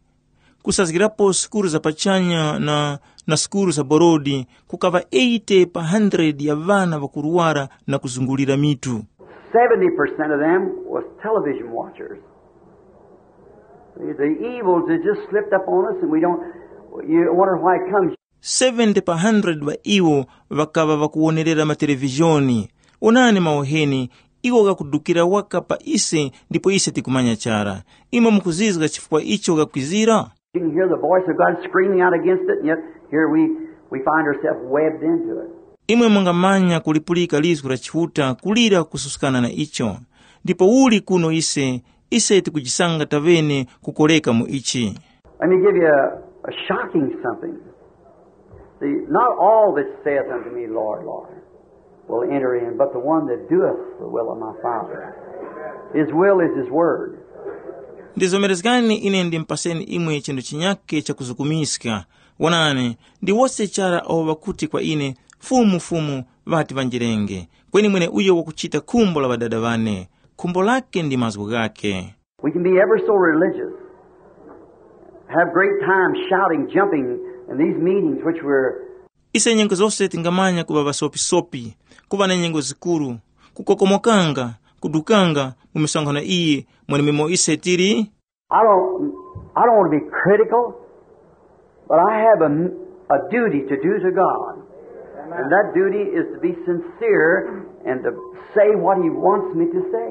kusazgirapo sukulu za pachanya na, na sukulu za borodi, kukaŵa eighty pa hundred ya ŵana ŵakuruwara na kuzungulira mitu. Seventy percent of them was television watchers. The evils has just slipped up on us, and we don't, you wonder why it comes. Seventy pa hundred ŵa iwo ŵakaŵa ŵakuwonerera matelevizhoni. Onani mawuheni, iwo ghakudukira waka pa ise, ndipo ise tikumanya chara. Imwe mukuzizga chifukwa icho ghakwizira? You can hear the voice of God screaming out against it, and yet here we, we find ourselves webbed into it. Imwe mungamanya kulipulika lizgu la Chiuta kulira kususkana na icho. Ndipo uli kuno ise, ise tikujisanga taŵene kukoreka mu ichi. Let me give you a, a shocking something. See, not all that saith unto me, Lord, Lord, will enter in, but the one that doeth the will of my Father. His will is his word. Ndizomerezgani ine ndimpaseni imwe chinthu chinyake chakuzukumiska. Wonani, ndi wose chara awo ŵakuti kwa ine, Fumu, Fumu, ŵati ŵanjirenge, kweni mweneuyo wakuchita khumbo la Ŵadada ŵane. Khumbo lake ndi mazgu ghake. We can be ever so religious, have great time shouting, jumping in these meetings which we're. Ise nyengo zose tingamanya kuŵa ŵasopisopi, kuŵa na nyengo zikuru, kukokomokanga, kudukanga mu misonkhano iyi mwenemwemo ise tili. I don't, I don't want to be critical, but I have a, a duty to do to God. And that duty is to be sincere and to say what he wants me to say.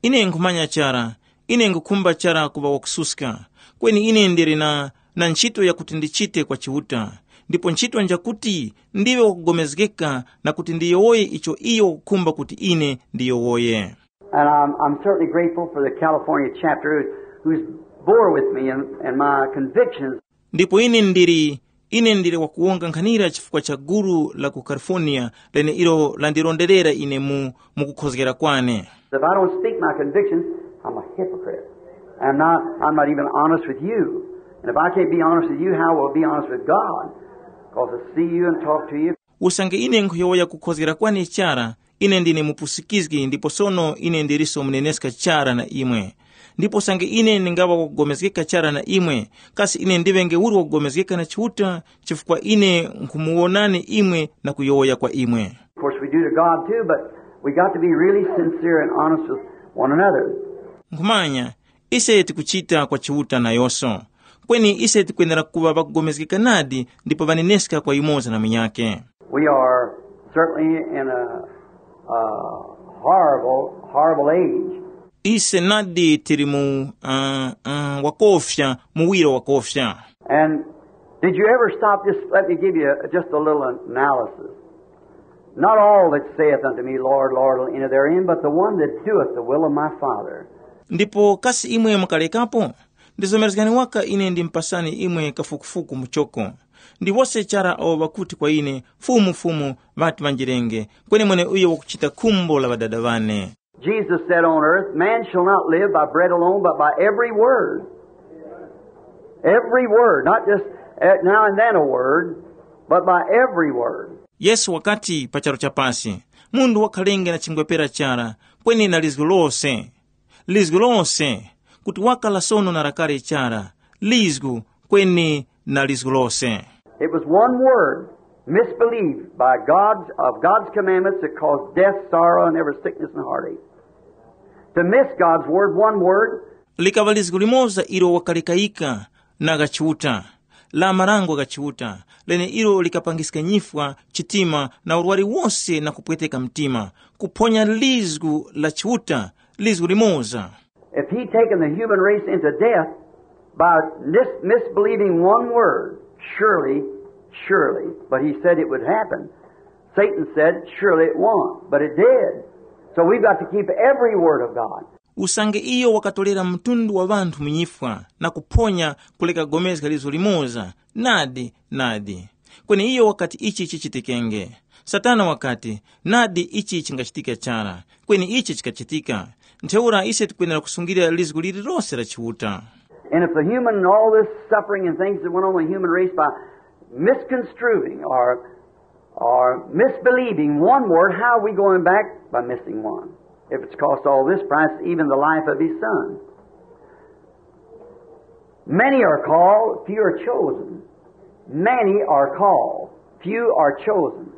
Ine nkhumanya chara, ine ngukhumba chara kuŵa wakususka, kweni ine ndili na, na ntchito yakuti ndichite kwa Chiuta. Ndipo ntchito njakuti ndiŵe wakugomezgeka na kuti ndiyowoye icho iyo wakukhumba kuti ine ndiyowoye. And I'm, I'm certainly grateful for the California chapter who's bore with me and, and my convictions. Ndipo ine ndili, ine ndili wakuwonga nkhanira chifukwa cha gulu la ku California lene ilo landironderera ine mu, mu kukhozgera kwane. If I don't speak my convictions, I'm a hypocrite. I'm not, I'm not even honest with you. And if I can't be honest with you, how will I be honest with God? Because I see you and talk to you. Usange ine nkhuyowoya kukhozgera kwane chara, ine ndine mupusikizgi ndipo sono ine ndiliso muneneska chara na imwe. Ndipo usange ine ndingaŵa wakugomezgeka chara na imwe, kasi ine ndiŵenge uli wakugomezgeka na Chiuta, chifukwa ine nkhumuwonani imwe na kuyowoya kwa imwe? Of course, we do to God too, but we got to be really sincere and honest with one another. Nkhumanya, ise tikuchita kwa Chiuta nayonso. Kweni ise tikwenera kuŵa ŵakugomezgeka nadi ndipo ŵaneneska kwa yumoza na munyakhe. We are certainly in a, a horrible, horrible age. Ise nadi tili mu uh, uh, wakofya, muwiro wakofya. And did you ever stop? Just let me give you just a little analysis. Not all that saith unto me, Lord, Lord, will enter therein, but the one that doeth the will of my Father. Ndipo kasi imwe mukalekapo? Ndizomerezgani waka ine ndimpasani imwe kafukufuku muchoko. Ndi wose chara awo ŵakuti kwa ine, Fumu, Fumu, ŵati ŵanjirenge, kweni mweneuyo wakuchita khumbo la Ŵadada ŵane. Jesus said on earth, man shall not live by bread alone, but by every word. Every word, not just eh, now and then a word, but by every word. Yesu wakati pa charu cha pasi, munthu wakhalenge na chingwepera chara, kweni na lizgu lose. Lizgu lose, kuti wakala sono na lakale chara, lizgu, kweni na lizgu lose. It was one word, Misbelief by God's, of God's commandments that cause death, sorrow, and every sickness and heartache. To miss God's word, one word, Likaŵa lizgu limoza ilo wakalekayika na gha Chiuta, la marango gha Chiuta, leneilo likapangiska nyifwa, chitima na urwari wose na kupweteka mtima, kuphonya lizgu la Chiuta, lizgu limoza. If he taken the human race into death by mis- misbelieving one word, surely, surely, but he said it would happen. Satan said, surely it won't, but it did. So we've got to keep every word of God. Usange iyo wakatolera mtundu wa ŵanthu mu nyifwa na kuphonya kuleka kugomezga lizo limoza, nadi, nadi. Kweni iyo wakati ichi chichitikenge. Satana wakati, nadi ichi chingachitike chara. Kweni ichi chikachitika. Ntheura ise tikwenera kusungilira lizgu lililose la Chiuta. And if the human and all this suffering and things that went on with the human race by misconstruing or, or misbelieving one word, how are we going back? By missing one. If it's cost all this price, even the life of his son. Many are called, few are chosen. Many are called, few are chosen.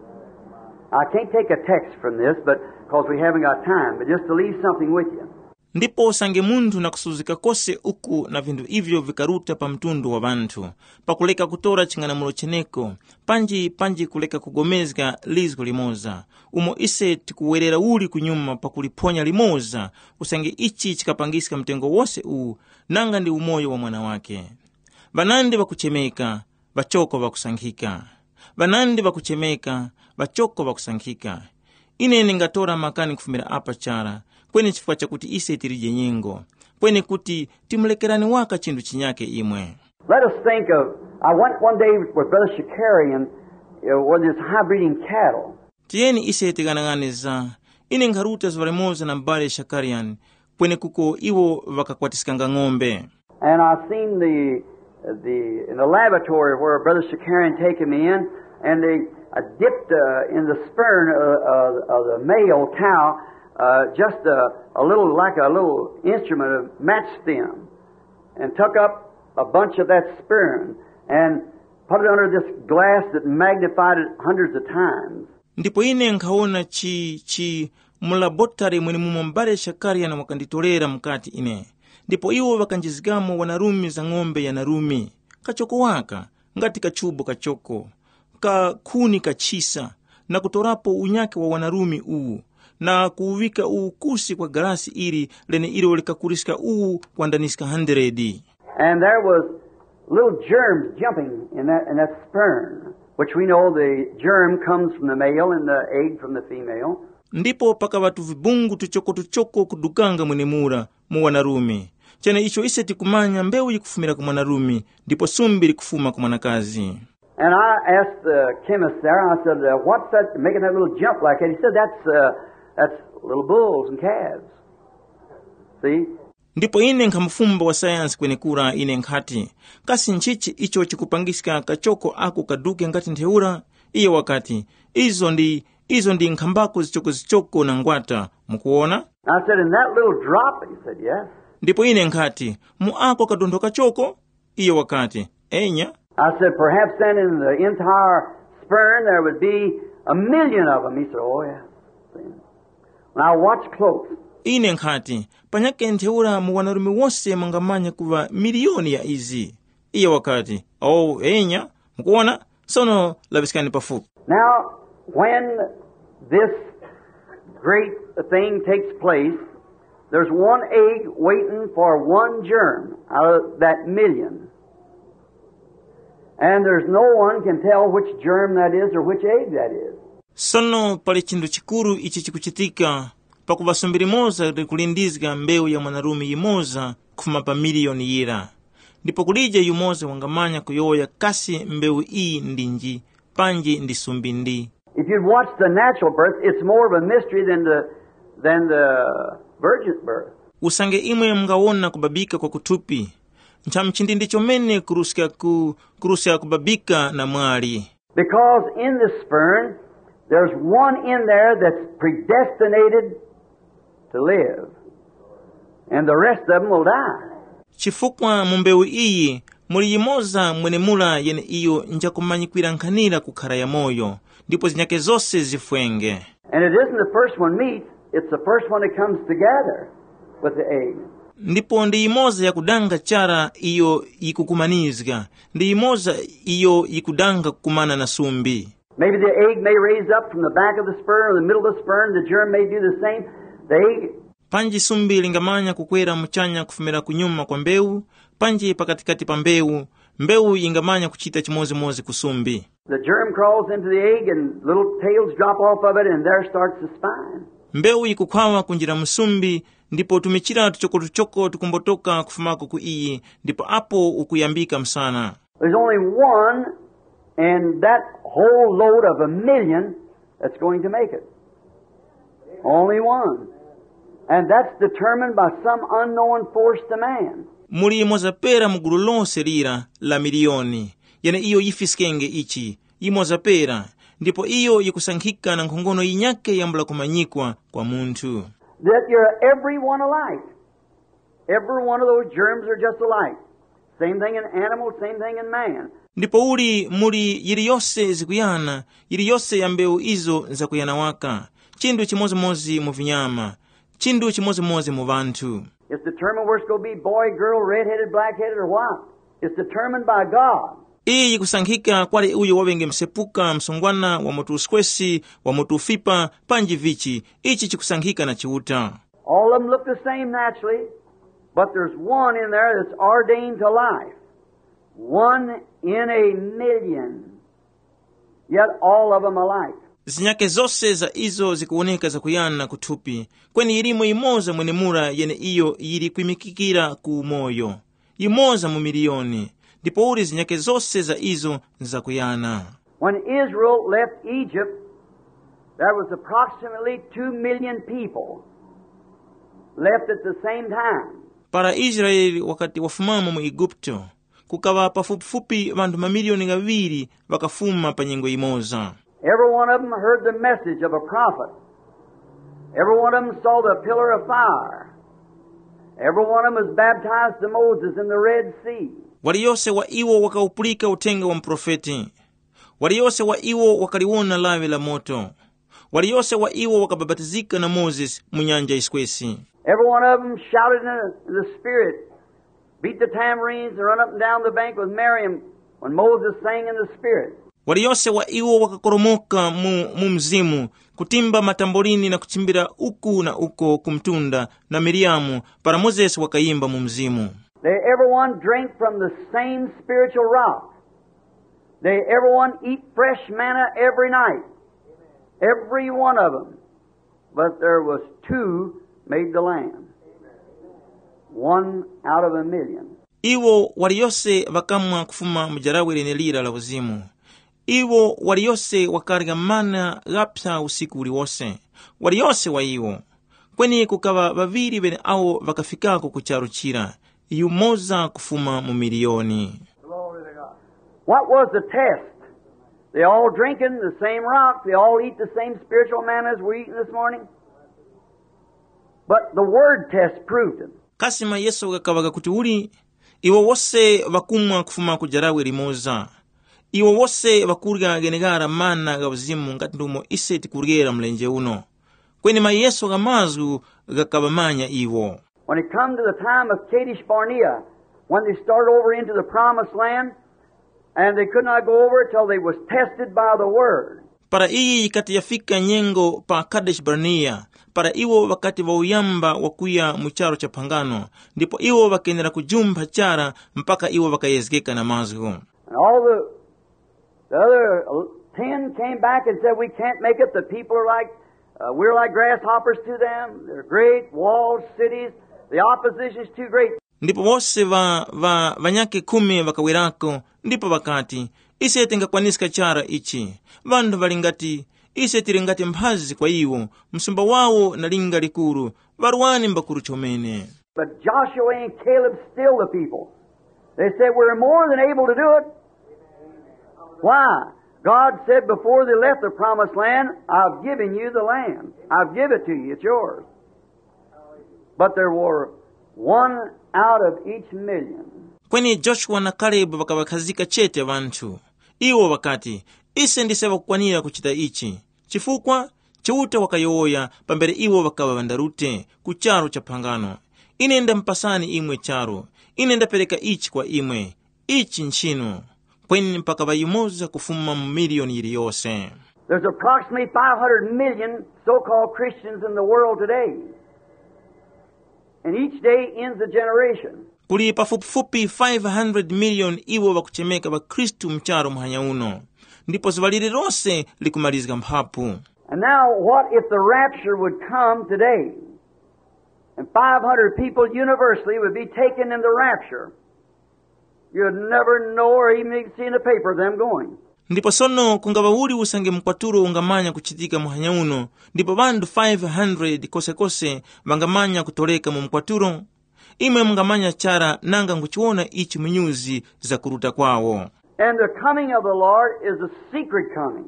I can't take a text from this, but because we haven't got time, but just to leave something with you. Ndipo usange munthu na kusuzgika kose uku na vinthu ivyo vikaruta pa mtundu wa ŵanthu, pakuleka kutora ching'anamulo cheneko, panji panji kuleka kugomezga lizgu limoza, umo ise tikuwerera uli kunyuma pakuliphonya limoza, usange ichi chikapangiska mtengo wose uwu, nanga ndi umoyo wa mwana wake. Ŵanandi ŵakuchemeka, ŵachoko ŵakusankhika. Ŵanandi ŵakuchemeka, ŵachoko ŵakusankhika. Ine ndingatora makani kufumira apa chara, kweni chifukwa chakuti ise tilije nyengo, kweni kuti timulekerani waka chinthu chinyake imwe. Let us think of, I went one day with Brother Shakarian, uh, with his high breeding cattle. Tiyeni ise tighanaghanizga. Ine nkharuta zuŵa limoza na m'bale Shakarian, kwenekuko iwo ŵakakwatiskanga ng'ombe. And I seen the, the, in the laboratory where Brother Shakarian taken me in, and they uh, dipped uh, in the sperm uh, uh, of the male cow uh, just a, a little, like a little instrument of match stem, and took up a bunch of that sperm and put it under this glass that magnified it hundreds of times. Ndipo ine nkhawona chi, chi mu labotare mwenemumo m'bale Shakarian wakanditorera mukati ine. Ndipo iwo ŵakanjizgamo wanarumi za ng'ombe ya narumi, kachoko waka, ngati kachubo kachoko, ka khuni kachisa, na kutorapo unyake wa wanarumi uwu, na kuwuŵika uwu kusi kwa galasi ili leneilo likakuriska uwu kwandaniska handeredi. And there was little germs jumping in that, in that sperm, which we know the germ comes from the male and the egg from the female. Ndipo pakaŵa tuvibungu tuchoko-tuchoko kudukanga mwenemura mu wanarume. Cheneicho ise tikumanya mbewu yikufumira ku mwanarume, ndipo sumbi likufuma ku mwanakazi. And I asked the chemist there, I said, uh, what's that making that little jump like that? He said, that's, uh, that's little bulls and calves. See? Ndipo ine nkhamufumba wa sayansi kwenekura, ine nkhati, kasi nchichi icho chikupangiska kachoko ako kaduke ngati ntheura? Iye wakati, izo ndi, izo ndi nkhambako zichokozichoko na ngwata. Mukuwona? I said, in that little drop? He said, yes. Ndipo ine nkhati, mu ako kadontho kachoko? Iye wakati, enya. I said, perhaps then in the entire sperm there would be a million of them. He said, oh, yeah. See? Now watch close. Ine nkhati, panyake ntheura mu wanarume wose mungamanya kuŵa miliyoni ya izi. Iye wakati, oh, enya. Mukuwona? Sono laŵiskani pafupi. Now, when this great thing takes place, there's one egg waiting for one germ out of that million. And there's no one can tell which germ that is or which egg that is. Sono pali chinthu chikuru ichi chikuchitika, pakuŵa sumbi limoza likulindizga mbewu ya mwanarume yimoza kufuma pa miliyoni yira. Ndipo kulije yumoza wangamanya kuyowoya kasi mbewu iyi ndinji, panji ndi sumbi ndi. If you'd watch the natural birth, it's more of a mystery than the, than the virgin birth. Usange imwe mungawona kubabika kwa kuthupi, nchamuchindindi chomene kuruska ku, kuruska kubabika na mwali. Because in the sperm, there's one in there that's predestinated to live, and the rest of them will die. Chifukwa mu mbewu iyi Muli yimoza mwenemura yeneiyo njakumanyikwira nkhanira kukhara yamoyo, ndipo zinyakhe zose zifwenge. And it isn't the first one meets, it's the first one that comes together with the egg. Ndipo ndi yimoza yakudanga chara iyo yikukumanizga, ndi yimoza iyo yikudanga kukumana na sumbi. Maybe the egg may raise up from the back of the sperm or the middle of the sperm, the germ may do the same. The egg Panji sumbi lingamanya kukwera muchanya kufumira kunyuma kwa mbewu, panji pakatikati pa mbewu, mbewu yingamanya kuchita chimodzimodzi ku sumbi. The germ crawls into the egg and little tails drop off of it and there starts the spine. Mbewu yikukhwawa kunjira mu sumbi, ndipo tumichira tuchokotuchoko tukumbotoka kufumako ku iyi, ndipo apo ukuyambika msana. There's only one in that whole load of a million that's going to make it. Only one. And that's determined by some unknown force to man. Muli yimoza pera mu gulu lose lira la miliyoni, yeneiyo yifiskenge ichi, yimoza pera, ndipo iyo yikusankhika na nkhongono yinyakhe yambula kumanyikwa kwa munthu. That you're every one alike. Every one of those germs are just alike. Same thing in animals, same thing in man. Ndipo uli muli yiliyose zikuyana, yiliyose ya mbewu izo nzakuyana waka, chinthu chimodzimodzi mu vinyama, chinthu chimodzimodzi mu ŵanthu. It's determined whether it's going to be boy, girl, red-headed, black-headed, or what. It's determined by God. Iyi yikusankhika kwali uyo waŵenge msepuka, msungwana, wa mutu uskwesi, wa mutu ufipa, panji vichi, ichi chikusankhika na Chiuta. All of them look the same naturally, but there's one in there that's ordained to life. One in a million. Yet all of them alike. Zinyakhe zose za izo zikuwoneka zakuyana kuthupi, kweni yilimo yimoza mwenemura yeneiyo yili kwimikikira ku umoyo, yimoza mu miliyoni, ndipouli zinyakhe zose za izo nzakuyana. When Israel left Egypt, there was approximately two million people left at the same time. Para Israele wakati wafumamo mu Eguputo, kukaŵa pafupifupi ŵanthu mamiliyoni ghaŵiri ŵakafuma pa nyengo yimoza. Every one of them heard the message of a prophet. Every one of them saw the pillar of fire. Every one of them was baptized to Moses in the Red Sea. Waliyose wa iwo wakawupulika uthenga wa muprofeti. Waliyose wa iwo wakaliwona lawi la moto. Waliyose wa iwo wakabapatizika na Mozesi mu nyanja yiswesi. Every one of them shouted in the, in the Spirit, beat the tambourines, and run up and down the bank with Miriam when Moses sang in the Spirit. Waliyose wa iwo wakakoromoka mu, mu mzimu, kutimba matamborini na kuchimbira uku na uko ku mtunda na Miriamu para Mozesi wakayimba mu mzimu. They everyone drank from the same spiritual rock. They everyone eat fresh manna every night. Every one of them. But there was two made the land. One out of a million. Iwo waliyose ŵakamwa kufuma mu jarawe lenelira la uzimu. Iwo waliyose wakarya mana ghaphya usiku uliwose, waliyose wa iwo. Kweni kukaŵa ŵaŵiri ŵeneawo ŵakafikako ku charu chira, yumoza kufuma mu miliyoni. What was the test? They all drinking the same rock. They all eat the same spiritual manna as we're eating this morning. But the word test proved it. Kasi mayeso ghakaŵa ghakuti uli? Iwo wose ŵakumwa kufuma ku jarawe limoza. Iwo wose ŵakurya gheneghara mana gha uzimu ngati ndumo ise tikuryera mlenje uno. Kweni mayeso gha mazgu ghakaŵamanya iwo. When it come to the time of Kadesh Barnea, when they started over into the promised land, and they could not go over till they was tested by the word. Para iyi yikati yafika nyengo pa Kadeshi Barnea, para iwo ŵakati ŵauyamba wakuya mu charu cha phangano, ndipo iwo ŵakenera kujumpha chara mpaka iwo ŵakayezgeka na mazgu. And all the, the other ten came back and said, "We can't make it. The people are like, uh, we're like grasshoppers to them. They're great, walled cities. The opposition is too great." Ndipo wose ŵa, ŵa, ŵanyakhe khumi ŵakawerako, ndipo ŵakati, "Ise tingakwaniska chara ichi. Ŵanthu ŵali ngati, ise tili ngati mphazi kwa iwo, msumba wawo na linga likuru, ŵarwani mbakuru chomene." But Joshua and Caleb stilled the people. They said, "We're more than able to do it." Why? God said before they left the promised land, "I've given you the land. I've give it to you. It's yours." But there were one out of each million. Kweni Joshua na Kalebu ŵakaŵakhazika chete ŵanthu. Iwo ŵakati, “Ise ndise ŵakukwanira kuchita ichi, chifukwa Chiuta wakayowoya pambere iwo ŵakaŵa ŵandarute ku charu cha phangano. Ine ndamupasani imwe charu, ine ndapereka ichi kwa imwe, ichi nchinu.” Kweni mpaka ŵayimoza kufuma mu miliyoni yiliyose. There's approximately five hundred million so-called Christians in the world today. And each day ends a generation. Kuli pafupifupi five hundred million iwo ŵakuchemeka ŵakhristu mcharo muhanya uno, ndipo zuŵa lililose likumalizga mphapu. And now, what if the rapture would come today? And five hundred people universally would be taken in the rapture. You'd never know or even see in the paper of them going. Ndipo sono kungaŵa uli usange mkwatulo ungamanya kuchitika muhanya uno, ndipo ŵanthu five hundred kosekose ŵangamanya kutoleka mu mkwatulo? Imwe mungamanya chara nanga nguchiwona ichi mu nyuzi za kuruta kwawo. And the coming of the Lord is a secret coming.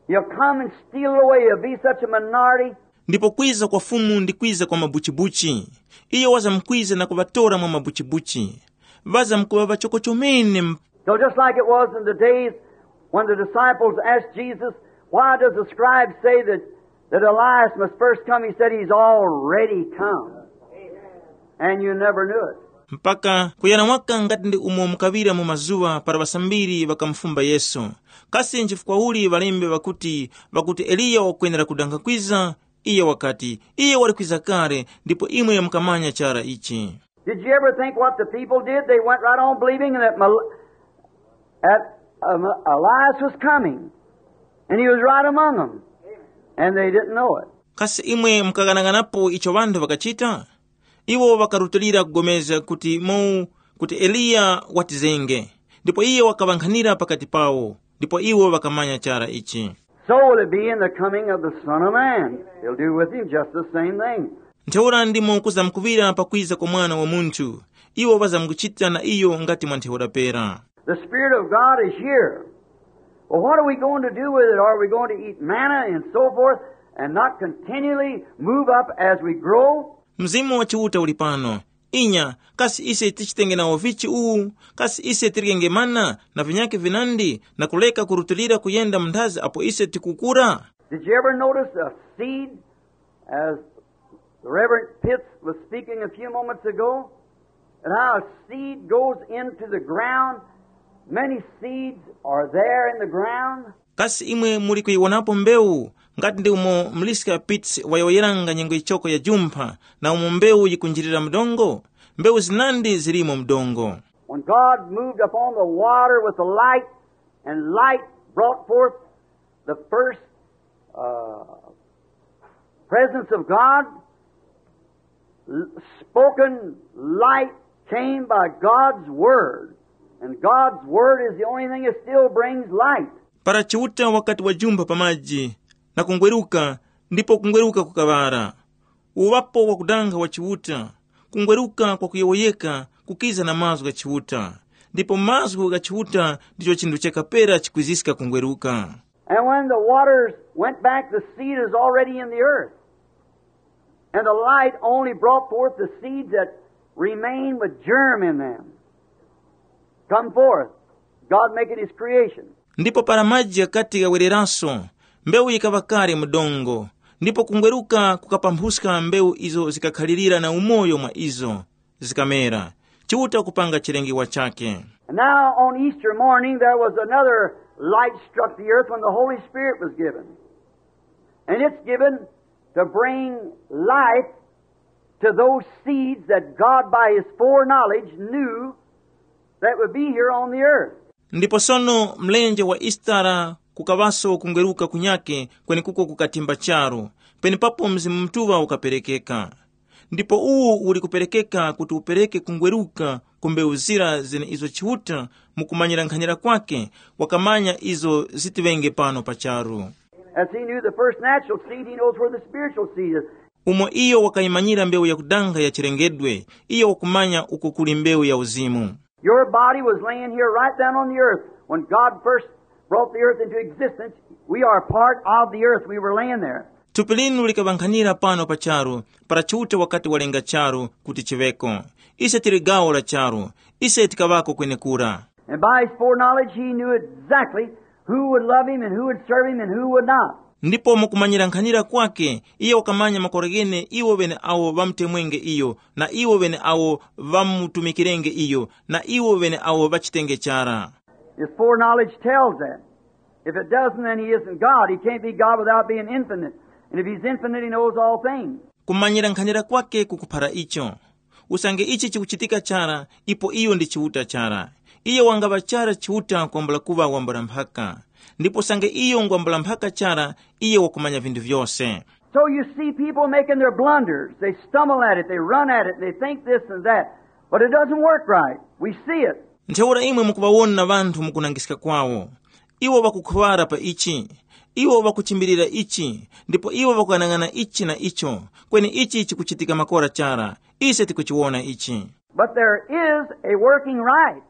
He'll come and steal it away. He'll be such a minority. Ndipo kwiza kwa Fumu ndi kwiza kwa mabuchibuchi. Iyo wazamkwiza na kuŵatora mwa mabuchibuchi. Ŵazamkuŵa ŵachoko chomene. So just like it was in the days when the disciples asked Jesus, "Why does the scribes say that, that Elias must first come?" He said, "He's already come. And you never knew it." Mpaka kuyana waka ngati ndi umo mukaŵira mu mazuŵa para ŵasambiri ŵakamufumba Yesu, kasi nchifukwa uli ŵalembe ŵakuti, ŵakuti Eliya wakwenera kudanga kwiza? Iye wakati, iye wali kwiza kale, ndipo imwe mukamanya chara ichi. Did you ever think what the people did? They went right on believing that, Mel- that um, Elias was coming, and he was right among them, and they didn't know it. Kasi imwe mukaghanaganapo icho ŵanthu ŵakachita? Iwo ŵakarutilira kugomezga kuti mu kuti Eliya watizenge, ndipo iye wakaŵankhanira pakati pawo, ndipo iwo ŵakamanya chara ichi. So will it be in the coming of the Son of Man. He'll do with him just the same thing. Ntheura ndimo kuzamkuŵira pakwiza kwa Mwana wa Munthu, iwo ŵazamkuchita na iyo ngati mwa ntheura pera. The Spirit of God is here. Well, what are we going to do with it? Are we going to eat manna and so forth and not continually move up as we grow? Mzimu wa Chiuta uli pano. Inya, kasi ise tichitenge nawo vichi uwu? Kasi ise tiryenge mana na vinyakhe vinandi na kuleka kurutilira kuyenda mu nthazi apo ise tikukura? Did you ever notice a seed as The Reverend Pitts was speaking a few moments ago, and how a seed goes into the ground. Many seeds are there in the ground. Kasi imwe muli kuyiwonapo mbewu ngati ndi umo Mliska Pitts wayowoyeranga nyengo yichoko ya jumpha na umo mbewu yikunjirira mdongo? Mbewu zinandi zilimo mdongo. When God moved upon the water with the light, and light brought forth the first uh, presence of God, spoken light came by God's Word. And God's Word is the only thing that still brings light. Para Chiuta wakati wajumba pa maji na kungweruka, ndipo kungweruka kukaŵara. Uŵapo wakudanga wa Chiuta, kungweruka kwa kuyowoyeka kukiza na mazgu gha Chiuta, ndipo mazgu gha Chiuta ndicho chinthu chakapera chikwiziska kungweruka. And when the waters went back, the seed is already in the earth. And the light only brought forth the seeds that remain with germ in them. Come forth, God making his creation. Ndipo para maji ghakati ghawereranso, mbewu yikaŵa kale mu dongo, ndipo kungweruka kukapamphuzga mbewu izo zikakhalirira na umoyo mwa izo, zikamera, Chiuta kupanga chilengewa chake. And now on Easter morning there was another light struck the earth when the Holy Spirit was given. And it's given to bring life to those seeds that God by his foreknowledge knew that would be here on the earth. Ndipo sono mlenje wa Isitara kukaŵaso kungweruka kunyake kwenekuko kukatimba charu, penepapo Mzimu Mutuŵa ukaperekeka. Ndipo uwu uli kuperekeka kuti upereke kungweruka ku mbewu zira zene izo Chiuta mu kumanyira nkhanyira kwake wakamanya izo zitiŵenge pano pa charu. As he knew the first natural seed, he knows where the spiritual seed is. Umo iyo wakayimanyira mbewu yakudanga ya chilengedwe, iyo wakumanya uko kuli mbewu ya uzimu. Your body was laying here right down on the earth when God first brought the earth into existence. We are part of the earth. We were laying there. Thupi linu likaŵankhanira pano pa charu, para Chiuta wakati walenga charu kuti chiŵeko. Ise tili gawo la charu, ise tikaŵako kwenekura. And by his foreknowledge, he knew exactly who would love him and who would serve him and who would not. Ndipo mukumanyira nkhanira kwake, iye wakamanya makora ghene iwo ŵene awo ŵamutemwenge iyo, na iwo ŵene awo ŵamutumikirenge iyo, na iwo ŵene awo ŵachitenge chara. His foreknowledge tells that. If it doesn't, then he isn't God. He can't be God without being infinite. And if he's infinite, he knows all things. Kumanyira nkhanira kwake kukuphara icho. Usange ichi chikuchitika chara, ipo iyo ndi Chiuta chara. Iyo wangaŵa chara Chiuta kwambula kuŵa wambula mphaka. Ndipo usange iyo ngwambula mphaka chara, iyo wakumanya vinthu vyose. So you see people making their blunders. They stumble at it, they run at it, they think this and that. But it doesn't work right. We see it. Ntheura imwe mukuŵawona ŵanthu mukunangiska kwawo. Iwo ŵakukhuŵara pa ichi, iwo ŵakuchimbilira ichi, ndipo iwo ŵakuyang'ana ichi na icho. Kweni ichi chikuchitika makora chara. Ise tikuchiwona ichi. But there is a working right.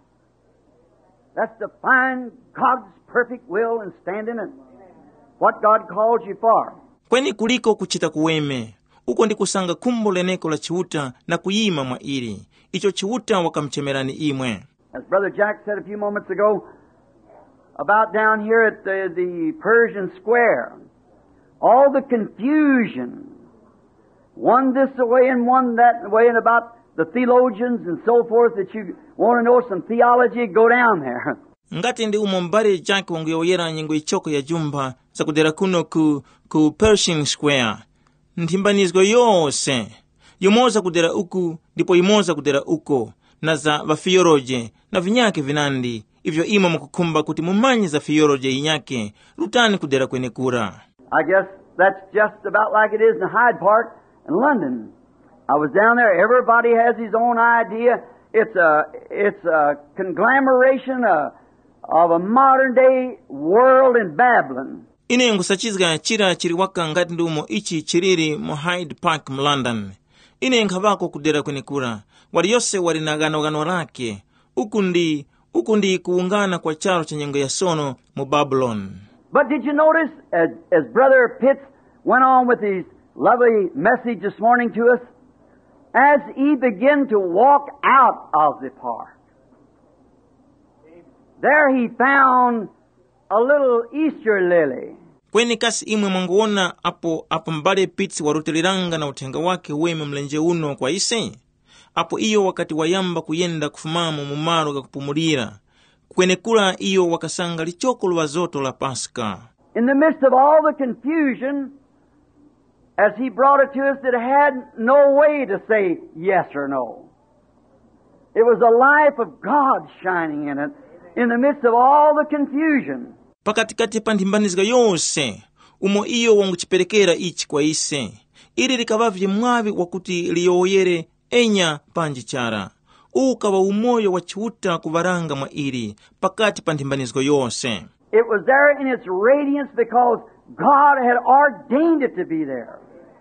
That's to find God's perfect will and stand in it. What God called you for. Kweni kuliko kuchita kuweme, uko ndi kusanga khumbo leneko la Chiuta na kuyima mwa ili, icho Chiuta wakamuchemerani imwe. As Brother Jack said a few moments ago, about down here at the, the Persian Square, all the confusion, one this way and one that way, and about the theologians and so forth, that you want to know some theology, go down there. Ngati ndi umo m'bale Jack wanguyowoyera nyengo yichoko ya jumba zakudera kuno ku, ku Pershing Square, nthimbanizgo yose, yumoza kudera uku ndipo yumoza kudera uko, na za ŵafiyoloje na vinyakhe vinandi, ivyo imwe mukukhumba kuti mumanye za fiyoloje yinyakhe, rutani kudera kwenekura. I guess that's just about like it is in Hyde Park in London. I was down there. Everybody has his own idea. It's a, it's a conglomeration of, of a modern day world in Babylon. Ine nkhusachizga chira chili waka ngati ndi umo ichi chiliri mu Hyde Park mu London. Ine nkhaŵako kudera kwenekura, waliyose wali na ghanoghano lakhe. Uku ndi, uku ndi kuwungana kwa charu cha nyengo ya sono mu Babuloni. But did you notice, as, as Brother Pitts went on with his lovely message this morning to us, as he began to walk out of the park, there he found a little Easter lily. Kweni kasi imwe mwanguwona apo, apo m'bale Pitts warutiliranga na uthenga wakhe weme mlenje uno kwa ise? Apo iyo wakati wayamba kuyenda kufumamo mu malo ghakupumulira, kwenekura iyo wakasanga lichoko lwa zoto la Paska. In the midst of all the confusion, as he brought it to us, it had no way to say yes or no. It was the life of God shining in it in the midst of all the confusion. Pakatikati pa nthimbanizga yose, umo iyo wanguchiperekera ichi kwa ise, ili likaŵavye mwaŵi wakuti liyowoyere enya panji chara. Uwu ukaŵa umoyo wa Chiuta kuŵaranga mwa ili pakati pa nthimbanizgo yose. It was there in its radiance because God had ordained it to be there.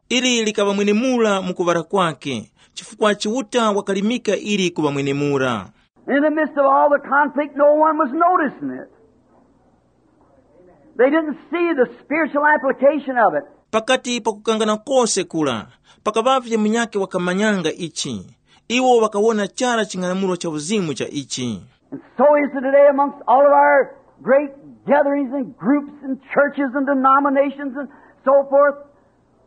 Ili likaŵa mwenemura mu kuŵala kwake, chifukwa Chiuta wakalimika ili kuŵa mwenemura. In the midst of all the conflict, no one was noticing it. They didn't see the spiritual application of it. Pakati pa kukangana kose kura, pakaŵavye munyakhe wakamanyanga ichi. Iwo ŵakawona chara ching'anamulo cha uzimu cha ichi. And so is it today amongst all of our great gatherings and groups and churches and denominations and so forth.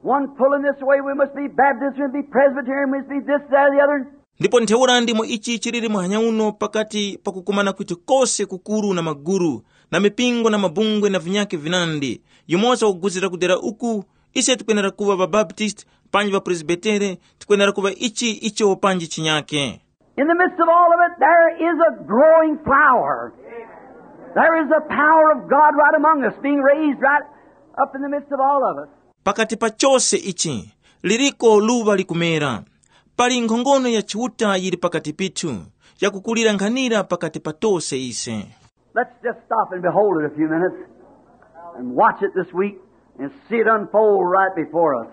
One pulling this way, we must be Baptist, we must be Presbyterian, we must be this, that, or the other. Ndipo ntheura ndimo ichi chiliri muhanya uno pakati pakukumana kwitu kose kukuru na maguru, na mipingo na mabungwe na vinyakhe vinandi, yumoza wakuguzira kudera uku, ise tikwenera kuŵa ŵabaptist, panji ŵapresbitere, tikwenera kuŵa ichi icho panji chinyakhe. In the midst of all of it, there is a growing flower. There is the power of God right among us, being raised right up in the midst of all of us. Pakati pa chose ichi, liriko luŵa likumera. Pali nkhongono ya Chiuta yili pakati pithu, yakukulira nkhanira pakati pa tose ise. Let's just stop and behold it a few minutes and watch it this week and see it unfold right before us.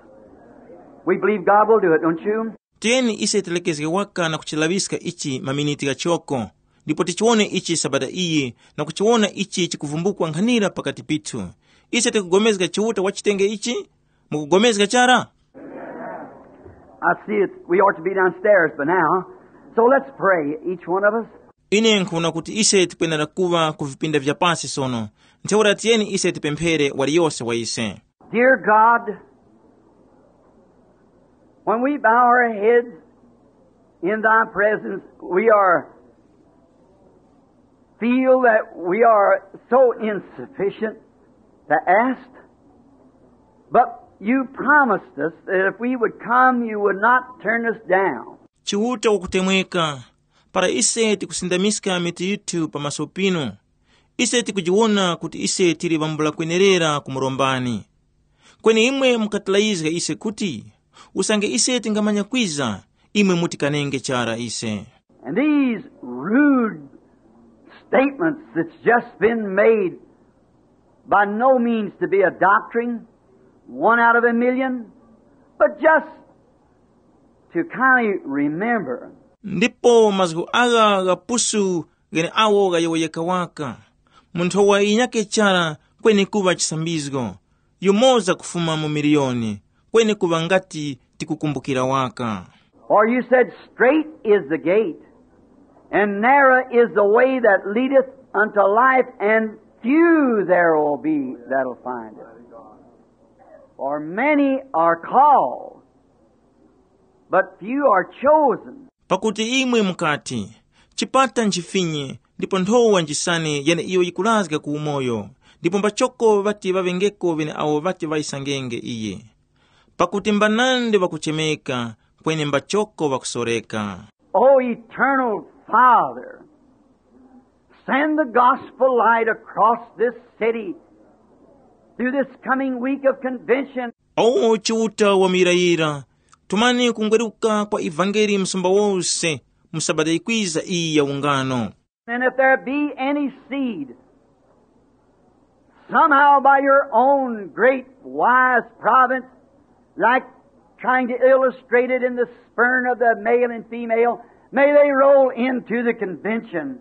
We believe God will do it, don't you? Tiyeni ise tilekezge waka na kuchilaŵiska ichi maminiti ghachoko, ndipo tichiwone ichi sabata iyi na kuchiwona ichi chikuvumbukwa nkhanira pakati pithu. Ise tikupulikana Chiuta wachitenge ichi? Mukugomezga chara? I see it. We ought to be downstairs by now. So let's pray, each one of us. Ine nkhuna kuti ise tikwenera kuŵa ku vipinda vya pasi sono. Ntheura tiyeni ise tipemphere waliyose wa ise. Dear God, when we bow our heads in thy presence, we are feel that we are so insufficient to ask, but you promised us that if we would come, you would not turn us down. Chiuta wakutemweka, para ise tikusindamiska mitu yithu pamaso pinu, ise tikujiwona kuti ise tili ŵambula kwenerera kumurombani. Kweni imwe mukatilayizga ise kuti, usange ise tingamanya kwiza, imwe mutikanenge chara ise. And these rude statements that's just been made by no means to be a doctrine, one out of a million, but just to kind of remember. Ndipo mazgu agha ghapusu gheneagho ghayowoyeka waka, mu nthowa yinyakhe chara, kweni kuŵa chisambizgo, yumoza kufuma mu miliyoni, kweni kuŵa ngati tikukumbukira waka. For you said, straight is the gate, and narrow is the way that leadeth unto life, and few there will be that'll find it. For many are called, but few are chosen. Pakuti imwe mukati, chipata nchifinye, ndipo nthowa njisane yeneiyo yikurazga ku umoyo, ndipo mbachoko ŵati ŵaŵengeko ŵeneawo ŵati ŵayisangenge iye. Pakuti mbanandi ŵakuchemeka, kweni mbachoko ŵakusoreka. O eternal Father, send the gospel light across this city through this coming week of convention. O Chiuta wa muyirayira, tumani kungweruka kwa ivangeli msumba wose mu sabata yikwiza iyi ya ungano. And if there be any seed, somehow by your own great wise providence, like trying to illustrate it in the spurn of the male and female, may they roll into the convention.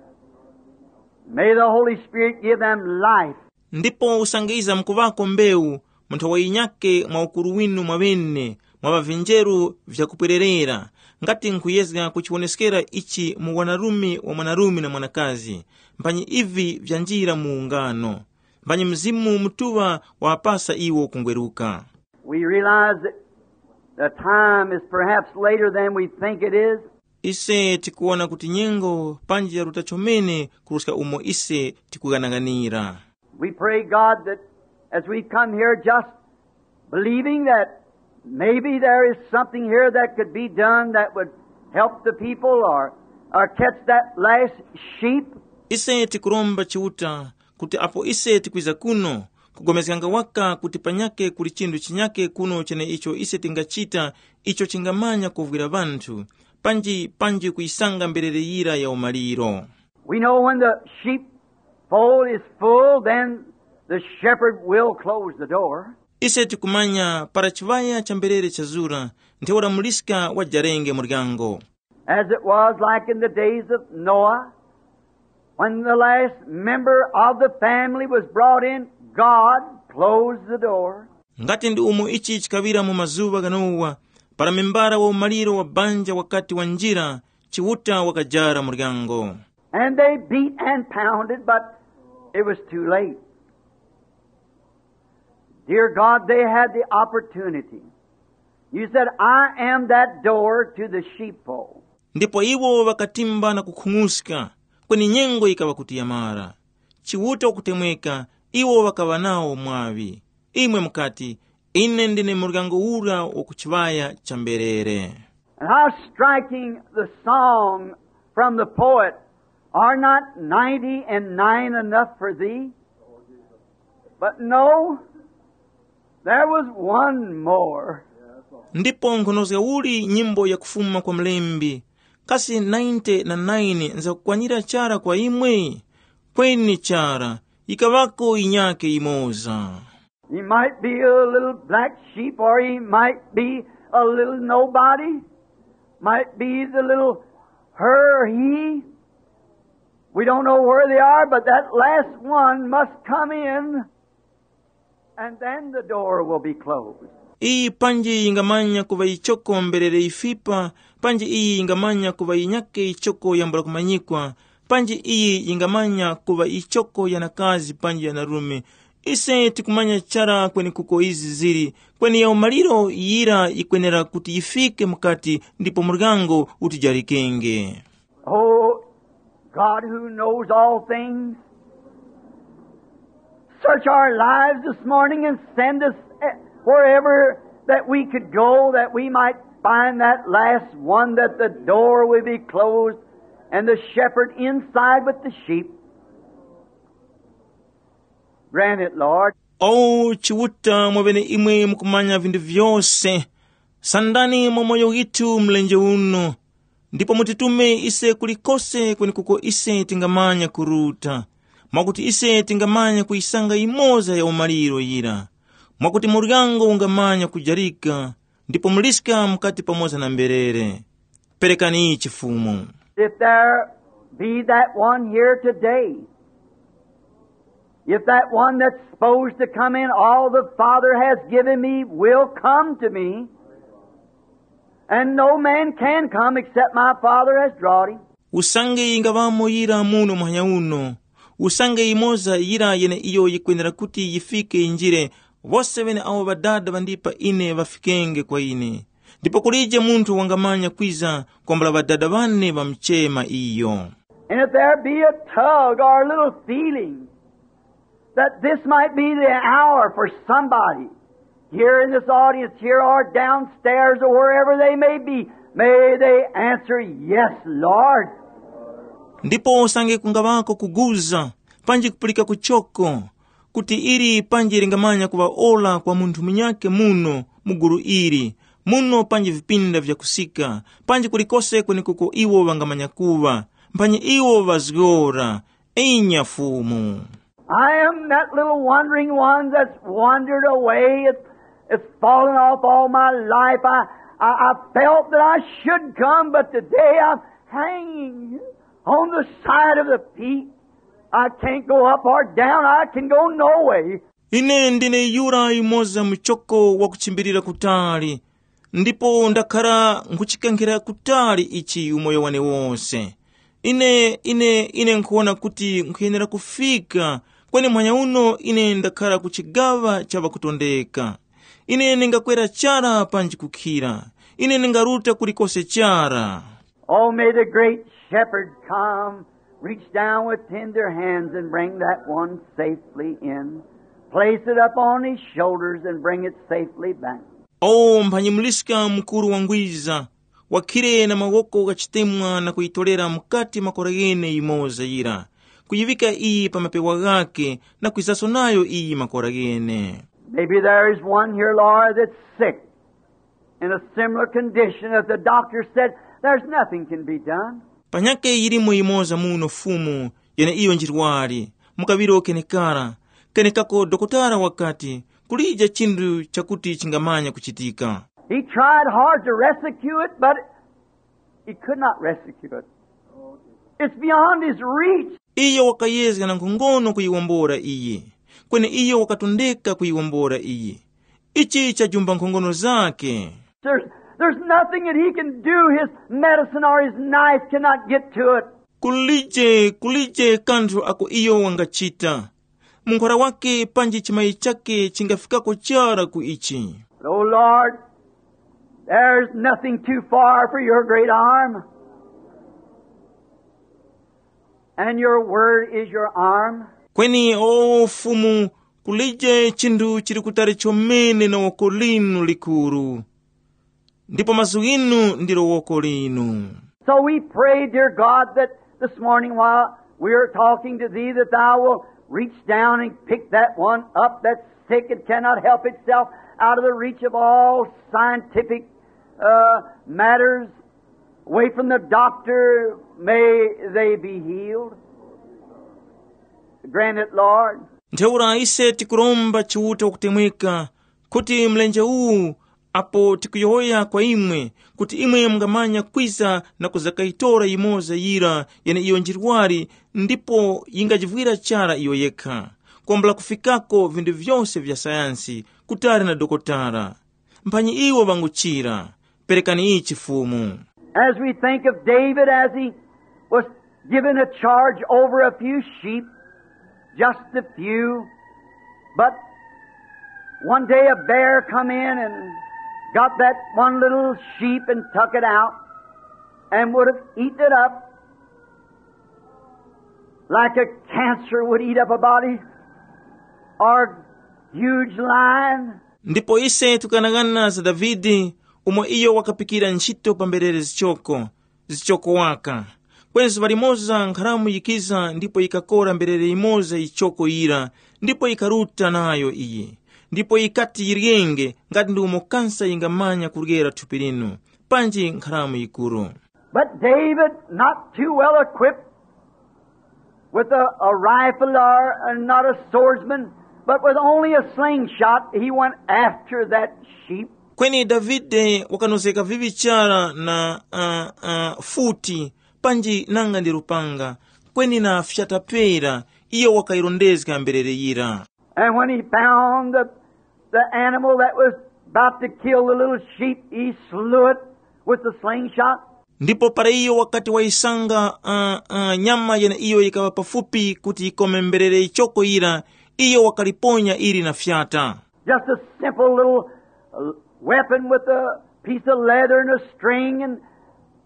May the Holy Spirit give them life. Ndipo usange iza mkuŵako mbewu mu nthowa yinyakhe mwa ukuru winu mwaŵene mwa ŵavinjeru vyakupwererera, ngati nkhuyezga kuchiwoneskera ichi mu wanarume wa mwanarume na mwanakazi, mphanyi ivi vyanjira mu ungano, mphanyi Mzimu Mutuŵa wapasa iwo kungweruka. We realize that the time is perhaps later than we think it is. Ise tikuwona kuti nyengo panji yaruta chomene kuruska umo ise tikughanaghanira. We pray, God, that as we come here just believing that maybe there is something here that could be done that would help the people or, or catch that last sheep. Ise tikuromba Chiuta kuti apo ise tikwiza kuno, kugomezganga waka kuti panyakhe kuli chinthu chinyakhe kuno cheneicho ise tingachita icho chingamanya kuvwira ŵanthu, panji panji kuyisanga mberere yira ya umaliro. We know when the sheepfold is full, then the shepherd will close the door. Ise tikumanya para chiŵaya cha mberere chazura, ntheura muliska wajarenge muryango. As it was like in the days of Noah, when the last member of the family was brought in, God closed the door. Ngati ndi umo ichi chikaŵira mu mazuŵa gha Nowa, para membara wa umaliro wa banja wakati wanjira, Chiuta wakajara muryango. And they beat and pounded, but it was too late. Dear God, they had the opportunity. You said, I am that door to the sheepfold. Ndipo iwo ŵakatimba na kukhung'uska, kweni nyengo yikaŵa kuti yamara. Chiuta wakutemweka, iwo ŵakaŵa nawo mwaŵi. Imwe mukati, ine ndine muryango ura wa ku chiŵaya cha mberere. And how striking the song from the poet, are not ninety and nine enough for thee? But no, there was one more. Ndipo nkhonozga uli nyimbo yakufuma kwa mlembi, kasi ninety na nine nzakukwanira chara kwa imwe? Kweni chara, yikaŵako yinyakhe yimoza. He might be a little black sheep, or he might be a little nobody, might be the little her or he. We don't know where they are, but that last one must come in, and then the door will be closed. Iyi panji yingamanya kuŵa yichoko mberere yifipa, panji iyi yingamanya kuŵa yinyake yichoko yambula kumanyikwa, panji iyi yingamanya kuŵa yichoko yanakazi panji yanarume. Ise tikumanya chara kwenekuko izi zili, kweni ya umaliro yira yikwenera kuti yifike mukati ndipo muryango utijarikenge. Oh, God who knows all things, search our lives this morning and send us eh, wherever that we could go that we might find that last one, that the door would be closed and the shepherd inside with the sheep. Grant it, Lord. O Chiuta, mwaŵene imwe mukumanya vinthu vyose, sandani mwa moyo withu mlenje uno, ndipo mutitume ise kulikose kwenekuko ise tingamanya kuruta, mwakuti ise tingamanya kuyisanga yimoza ya umaliro yira, mwakuti muryango ungamanya kujarika, ndipo muliska mukati pamoza na mberere. Perekani chifumu. If there be that one here today, if that one that's supposed to come in, all the Father has given me will come to me, and no man can come except my Father has drawn him. Usange yingaŵamo yira muno muhanya uno, usange yimoza yira yeneiyo yikwenera kuti yifike yinjire, wose ŵene awo Ŵadada ŵandipa ine ŵafikenge kwa ine. Ndipo kulije munthu wangamanya kwiza kwambula Ŵadada ŵane ŵamuchema iyo. And if there be a tug or a little feeling that this might be the hour for somebody here in this audience here or downstairs or wherever they may be, may they answer, "Yes, Lord." Ndipo usange kungaŵako kuguza, panji kupulika kuchoko, kuti ili panji lingamanya kuŵa ora kwa munthu munyakhe muno mu gulu ili, muno panji vipinda vyakusika, panji kulikose kwenekuko iwo ŵangamanya kuŵa, mphanyi iwo ŵazgora, inya Fumu. I am that little wandering one that's wandered away. It's, it's fallen off all my life. I, I, I felt that I should come, but today I'm hanging on the side of the feet. I can't go up or down. I can go no way. Ine ndine yura yumoza muchoko wakuchimbilira kutali, ndipo ndakhara nkhuchikankhira kutali ichi umoyo wane wose. Ine, ine, ine nkhuwona kuti nkhuyenera kufika, kweni muhanya uno ine ndakhara ku chigaŵa cha ŵakutondeka. Ine ndingakwera chara panji kukhira. Ine ndingaruta kulikose chara. Oh, may the great shepherd come, reach down with tender hands and bring that one safely in. Place it up on his shoulders and bring it safely back. O mphanyimuliska mukuru wangwiza, wakhire na mawoko ghachitemwa na kuyitorera mukati makora ghene yimoza yira, kuyiŵika iyi pa mapewa ghakhe na kwizaso nayo iyi makora ghene. Maybe there is one here, Lord, that's sick in a similar condition that the doctor said there's nothing can be done. Panyakhe yilimo yimoza muno Fumu, yeneiyo njirwari, mu kaŵiro kenekara, kenekako dokotala wakati, kulije chinthu chakuti chingamanya kuchitika. He tried hard to rescue it, but he could not rescue it. It's beyond his reach. Iyo wakayezga na nkhongono kuyiwombora iyi, kweni iyo wakatondeka kuyiwombora iyi. Ichi chajumba nkhongono zakhe. There's, there's nothing that he can do, his medicine or his knife cannot get to it. Kulije, kulije kanthu ako iyo wangachita. Munkhora wake panji chimayi chake chingafikako chara ku ichi. But, oh Lord, there's nothing too far for your great arm. And your word is your arm. Kweni o Fumu, kulije chinthu chili kutali chomene na woko linu likuru, ndipo mazgu ghinu ndilo woko linu. So we pray, dear God, that this morning while we are talking to thee, that thou will reach down and pick that one up that's sick and cannot help itself out of the reach of all scientific uh, matters, away from the doctor, may they be healed. Grant it, Lord. Ntheura ise tikuromba Chiuta wakutemweka, kuti mlenje uwu, apo tikuyowoya kwa imwe, kuti imwe mungamanya kwiza na kuzakayitora yimoza yira yeneiyo njirwari, ndipo yingajivwira chara iyo yekha, kwambula kufikako vinthu vyose vya sayansi, kutali na dokotala. Mphanyi iwo ŵanguchira, perekani ichi Fumu. As we think of David as he was given a charge over a few sheep, just a few, but one day a bear come in and got that one little sheep and took it out and would have eaten it up like a cancer would eat up a body or huge lion. Ndipo ise tukanang'ana za Davide, umo iyo wakapikira ntchito pa mberere zichoko, zichoko waka. Kweni zuŵa limoza nkharamu yikiza ndipo yikakora mberere yimoza yichoko yira, ndipo yikaruta nayo iye. Ndipo yikati yiryenge ngati ndi umo kansa yingamanya kuryera thupi linu, panji nkharamu yikuru. But David, not too well equipped with a, a rifle or, and not a swordsman, but with only a slingshot, he went after that sheep. Kweni Davide wakanozeka viŵi chara na uh, uh, futi, panji nanga ndi lupanga, kweni na fyata pera, iyo wakayirondezga mberere yira. And when he found the, the animal that was about to kill the little sheep, he slew it with the slingshot. Ndipo para iyo wakati wayisanga uh, uh, nyama yeneiyo yikaŵa pafupi kuti yikome mberere yichoko yira, iyo wakaliponya ili na fyata. Just a simple little uh, weapon with a piece of leather and a string, and,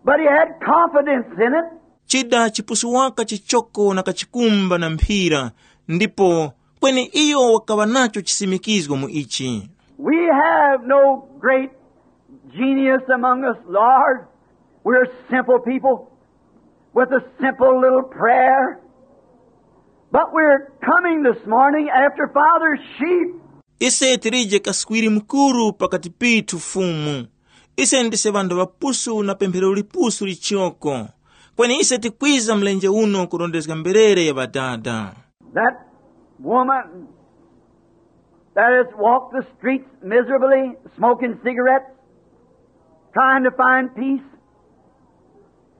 but he had confidence in it. Chida chipusu waka chichoko na kachikumba na mphira, ndipo kweni iyo wakaŵa nacho chisimikizgo mu ichi. We have no great genius among us, Lord. We're simple people with a simple little prayer. But we're coming this morning after Father's sheep. Ise tilije kaswiri mukuru pakati pithu Fumu. Ise ndise ŵanthu ŵapusu na pemphero lipusu lichoko. Kweni ise tikwiza mlenje uno kurondezga mberere ya ŵadada. That woman that has walked the streets miserably, smoking cigarettes, trying to find peace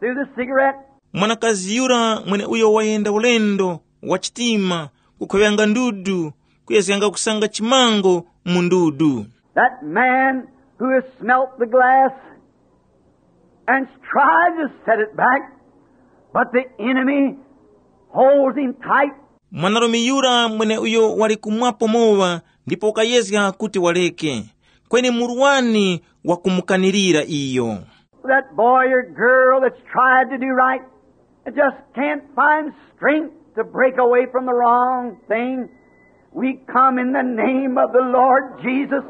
through the cigarette. Mwanakazi yura mweneuyo wayenda ulendo wa chitima, kukhoŵyanga ndudu, kuyezganga kusanga chimango mu ndudu. That man who has smelt the glass and tried to set it back, but the enemy holds him tight. Mwanarume yura mweneuyo wali kumwapo mowa ndipo wakayezga kuti waleke, kweni murwani wakumukanirira iyo. That boy or girl that's tried to do right and just can't find strength to break away from the wrong thing, we come in the name of the Lord Jesus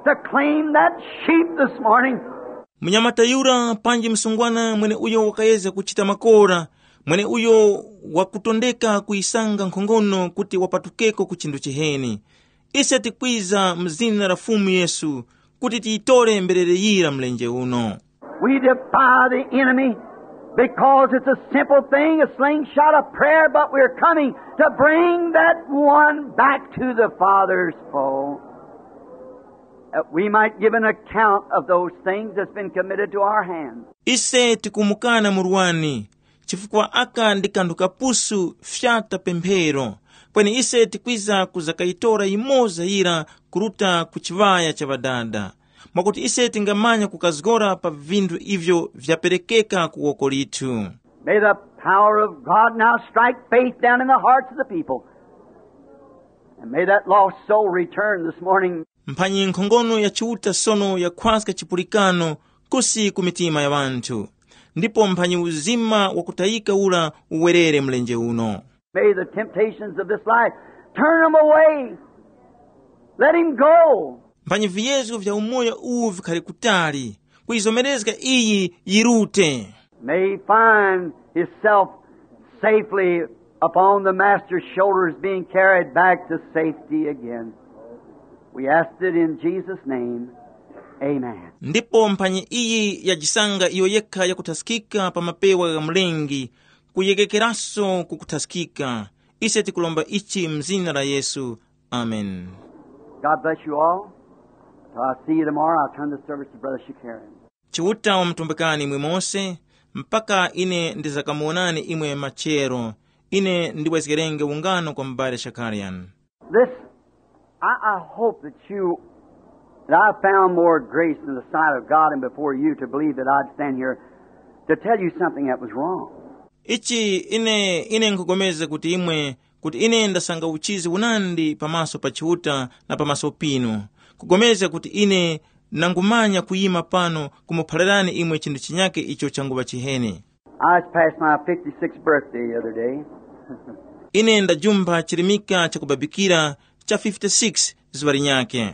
to claim that sheep this morning. Munyamata yura panji msungwana mweneuyo wakayezga kuchita makora, mweneuyo wakutondeka kuyisanga nkhongono kuti wapatukeko ku chinthu chiheni. Ise tikwiza mu zina la Fumu Yesu kuti tiyitore mberere yira mlenje uno. We defy the enemy because it's a simple thing, a slingshot, a prayer, but we're coming to bring that one back to the Father's fold. That we might give an account of those things that's been committed to our hands. Ise tikumukana murwani, chifukwa aka ndi kanthu kapusu fyata pemphero, kweni ise tikwiza kuzakayitora yimoza yira kuruta ku chiŵaya cha ŵadada, mwakuti ise tingamanya kukazgora pa vinthu ivyo vyaperekeka ku woko lithu. May the power of God now strike faith down in the hearts of the people. And may that lost soul return this morning. Mphanyi nkhongono ya Chiuta sono yakhwaska chipulikano kusi ku mitima ya ŵanthu, ndipo mphanyi uzima wakutayika ura uwerere mlenje uno. May the temptations of this life turn them away. Let him go. Mphanyi viyezgo vya umoyo uwu vikhare kutali, kuyizomerezga iyi yirute. May he find himself safely upon the Master's shoulders, being carried back to safety again. We ask it in Jesus' name. Amen. Ndipo mphanyi iyi yajisanga iyo yekha yakuthaskika pa mapewa gha Mlengi, kuyegekeraso ku kuthaskika. Ise tikulomba ichi mu zina la Yesu. Amen. God bless you all. Till I see you tomorrow, I'll turn the service to Brother Shakarian. Chiuta wamutumbikani imwe mose, mpaka ine ndizakamuwonani imwe machero. Ine ndibwezgerenge ungano kwa m'bale Shakarian. This, I, I hope that you And I found more grace in the sight of God and before you to believe that I'd stand here to tell you something that was wrong. Ichi ine ine nkhupulikana kuti imwe kuti ine ndasanga uchizi unandi pamaso pa Chiuta na pamaso pinu, kupulikana kuti ine nangumanya kuyima pano kumuphalirani imwe chinthu chinyake icho changuŵa chiheni. I just passed my fifty-sixth birthday the other day. Ine ndajumpha chirimika chakubabikira cha fifty-six zuŵa linyakhe.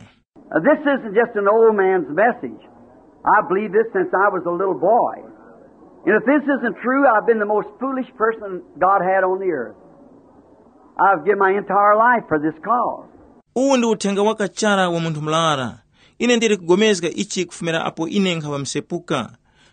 Now, this isn't just an old man's message. I believe this since I was a little boy. And if this isn't true, I've been the most foolish person God had on the earth. I've given my entire life for this cause. Uwu ndi uthenga wakachara wa munthu murara. Ine ndili kugomezga ichi kufumira apo ine nkhaŵa msepuka.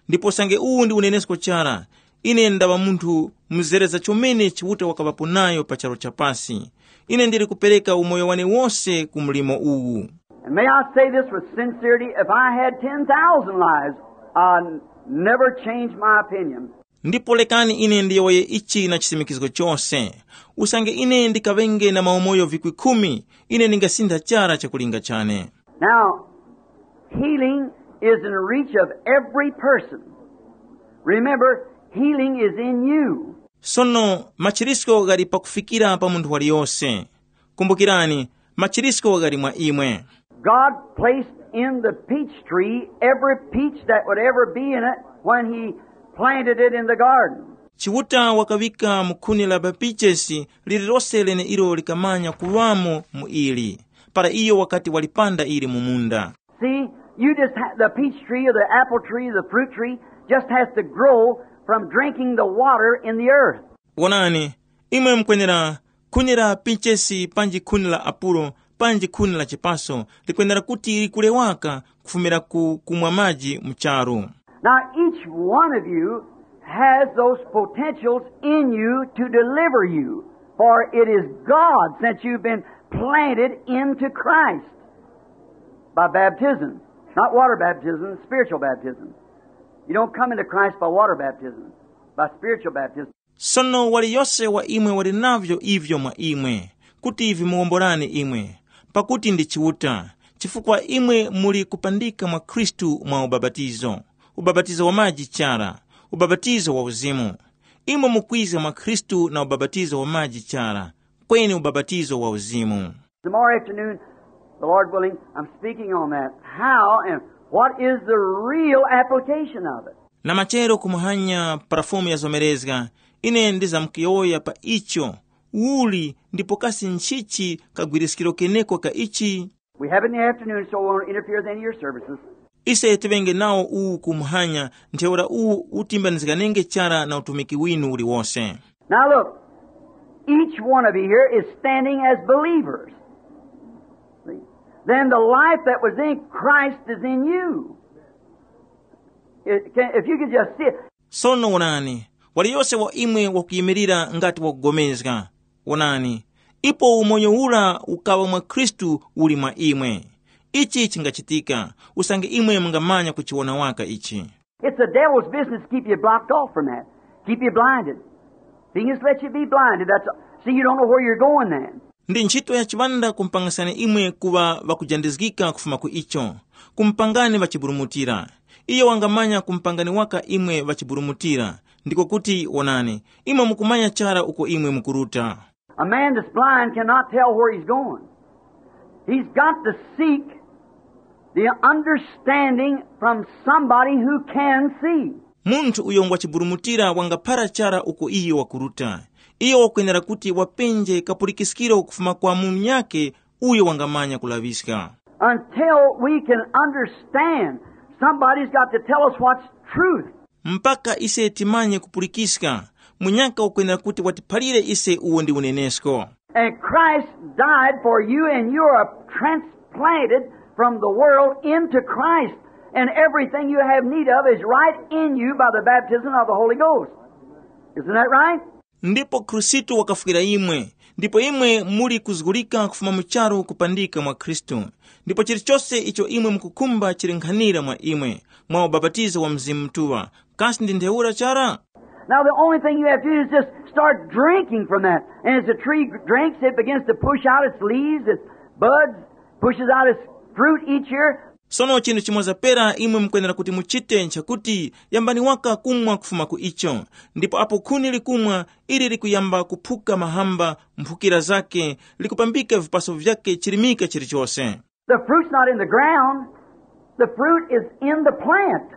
Ndipo sange uwu ndi unenesko chara, ine ndaŵa munthu mzereza chomene Chiuta wakaŵapo nayo pa charu chapasi. Ine ndili kupereka umoyo wane wose ku mlimo uwu. And may I say this with sincerity, if I had ten thousand lives, I'd never change my opinion. Ndipo lekani ine ndiyowoye ichi na chisimikizgo chose. Usange ine ndikaŵenge na maumoyo vikwi khumi, ine ndingasintha chara chakulinga chane. Now, healing is in reach of every person. Remember, healing is in you. Sono machirisko ghali pakufikira pa munthu waliyose. Kumbukirani, machirisko ghali mwa imwe. God placed in the peach tree every peach that would ever be in it when he planted it in the garden. Chiuta wakaŵika mu khuni la mapichesi lililose leneilo likamanya kuŵamo mu ili, para iyo wakati walipanda ili mu munda. See, you just ha- the peach tree or the apple tree, the fruit tree, just has to grow from drinking the water in the earth. Wonani, imwe mukwenera khuni la pinchesi panji khuni la apulo panji khuni la chipaso likwenera kuti likule waka kufumira ku kumwa maji mu charu. Now, each one of you has those potentials in you to deliver you, for it is God since you've been planted into Christ by baptism. Not water baptism, spiritual baptism. You don't come into Christ by water baptism, by spiritual baptism. Sono waliyose wa imwe wali navyo ivyo mwa imwe, kuti vimuwomborani imwe, pakuti ndi Chiuta, chifukwa imwe muli kupandika mwa Khristu mwa ubapatizo, ubapatizo wa maji chara, ubapatizo wa uzimu. Imwe mukwiza mwa Khristu na ubapatizo wa maji chara, kweni ubapatizo wa uzimu. Tomorrow afternoon, the Lord willing, I'm speaking on that. How and what is the real application of it? Na machero kumuhanya parafumu yazomerezga, ine ndizamkuyowoya pa icho, uli ndipo kasi nchichi kagwiriskiro keneko ka ichi? We have it in the afternoon, so we won't interfere with any of your services. Ise tiŵenge nawo uwu kumuhanya, ntheura uwu utimbanizganenge chara na utumiki winu uliwose. Now look, each one of you here is standing as believers. See? Then the life that was in Christ is in you. It can, if you could just see it. Sono wonani, waliyose wa imwe wakuyimirira ngati wakugomezga. Wonani, ipo umoyo ura ukaŵa mwa Khristu uli mwa imwe. Ichi chingachitika, usange imwe mungamanya kuchiwona waka ichi. It's the devil's business to keep you blocked off from that, keep you blinded. He just lets you be blinded. That's, see, you don't know where you're going then. Ndi ntchito ya chiŵanda kumpangasani imwe kuŵa ŵakujandizgika kufuma ku icho, kumpangani ŵachiburumutira. Iyo wangamanya kumpangani waka imwe ŵachiburumutira, ndiko kuti wonani, imwe mukumanya chara uko imwe mukuruta. A man that's blind cannot tell where he's going. He's got to seek the understanding from somebody who can see. Munthu uyo ngwachiburumutira wangaphara chara uko iyo wakuruta. Iyo wakwenera kuti wapenje kapulikiskiro kufuma kwa munyakhe uyo wangamanya kulaŵiska. Until we can understand, somebody's got to tell us what's truth. Mpaka ise timanye kupulikiska, munyaka ukwenera kuti watiphalire ise uwo ndi unenesko. And Christ died for you, and you are transplanted from the world into Christ. And everything you have need of is right in you by the baptism of the Holy Ghost. Isn't that right? Ndipo Khristu wakafwira imwe, ndipo imwe muli kuzgulika kufuma mu charu kupandika mwa Khristu. Ndipo chilichose icho imwe mukukhumba chili nkhanira mwa imwe, mwa ubapatizo wa Mzimu Mutuŵa. Kasi ndi ntheura chara? Now, the only thing you have to do is just start drinking from that. And as the tree drinks, it begins to push out its leaves, its buds, pushes out its fruit each year. Sono chinthu chimoza pera imwe mukwenera kuti muchite nchakuti yambani waka kumwa kufuma ku icho. Ndipo apo khuni likumwa, ili likuyamba kuphuka mahamba, mphukira zake, likupambika vipaso vyake chirimika chilichose. The fruit's not in the ground. The fruit is in the plant.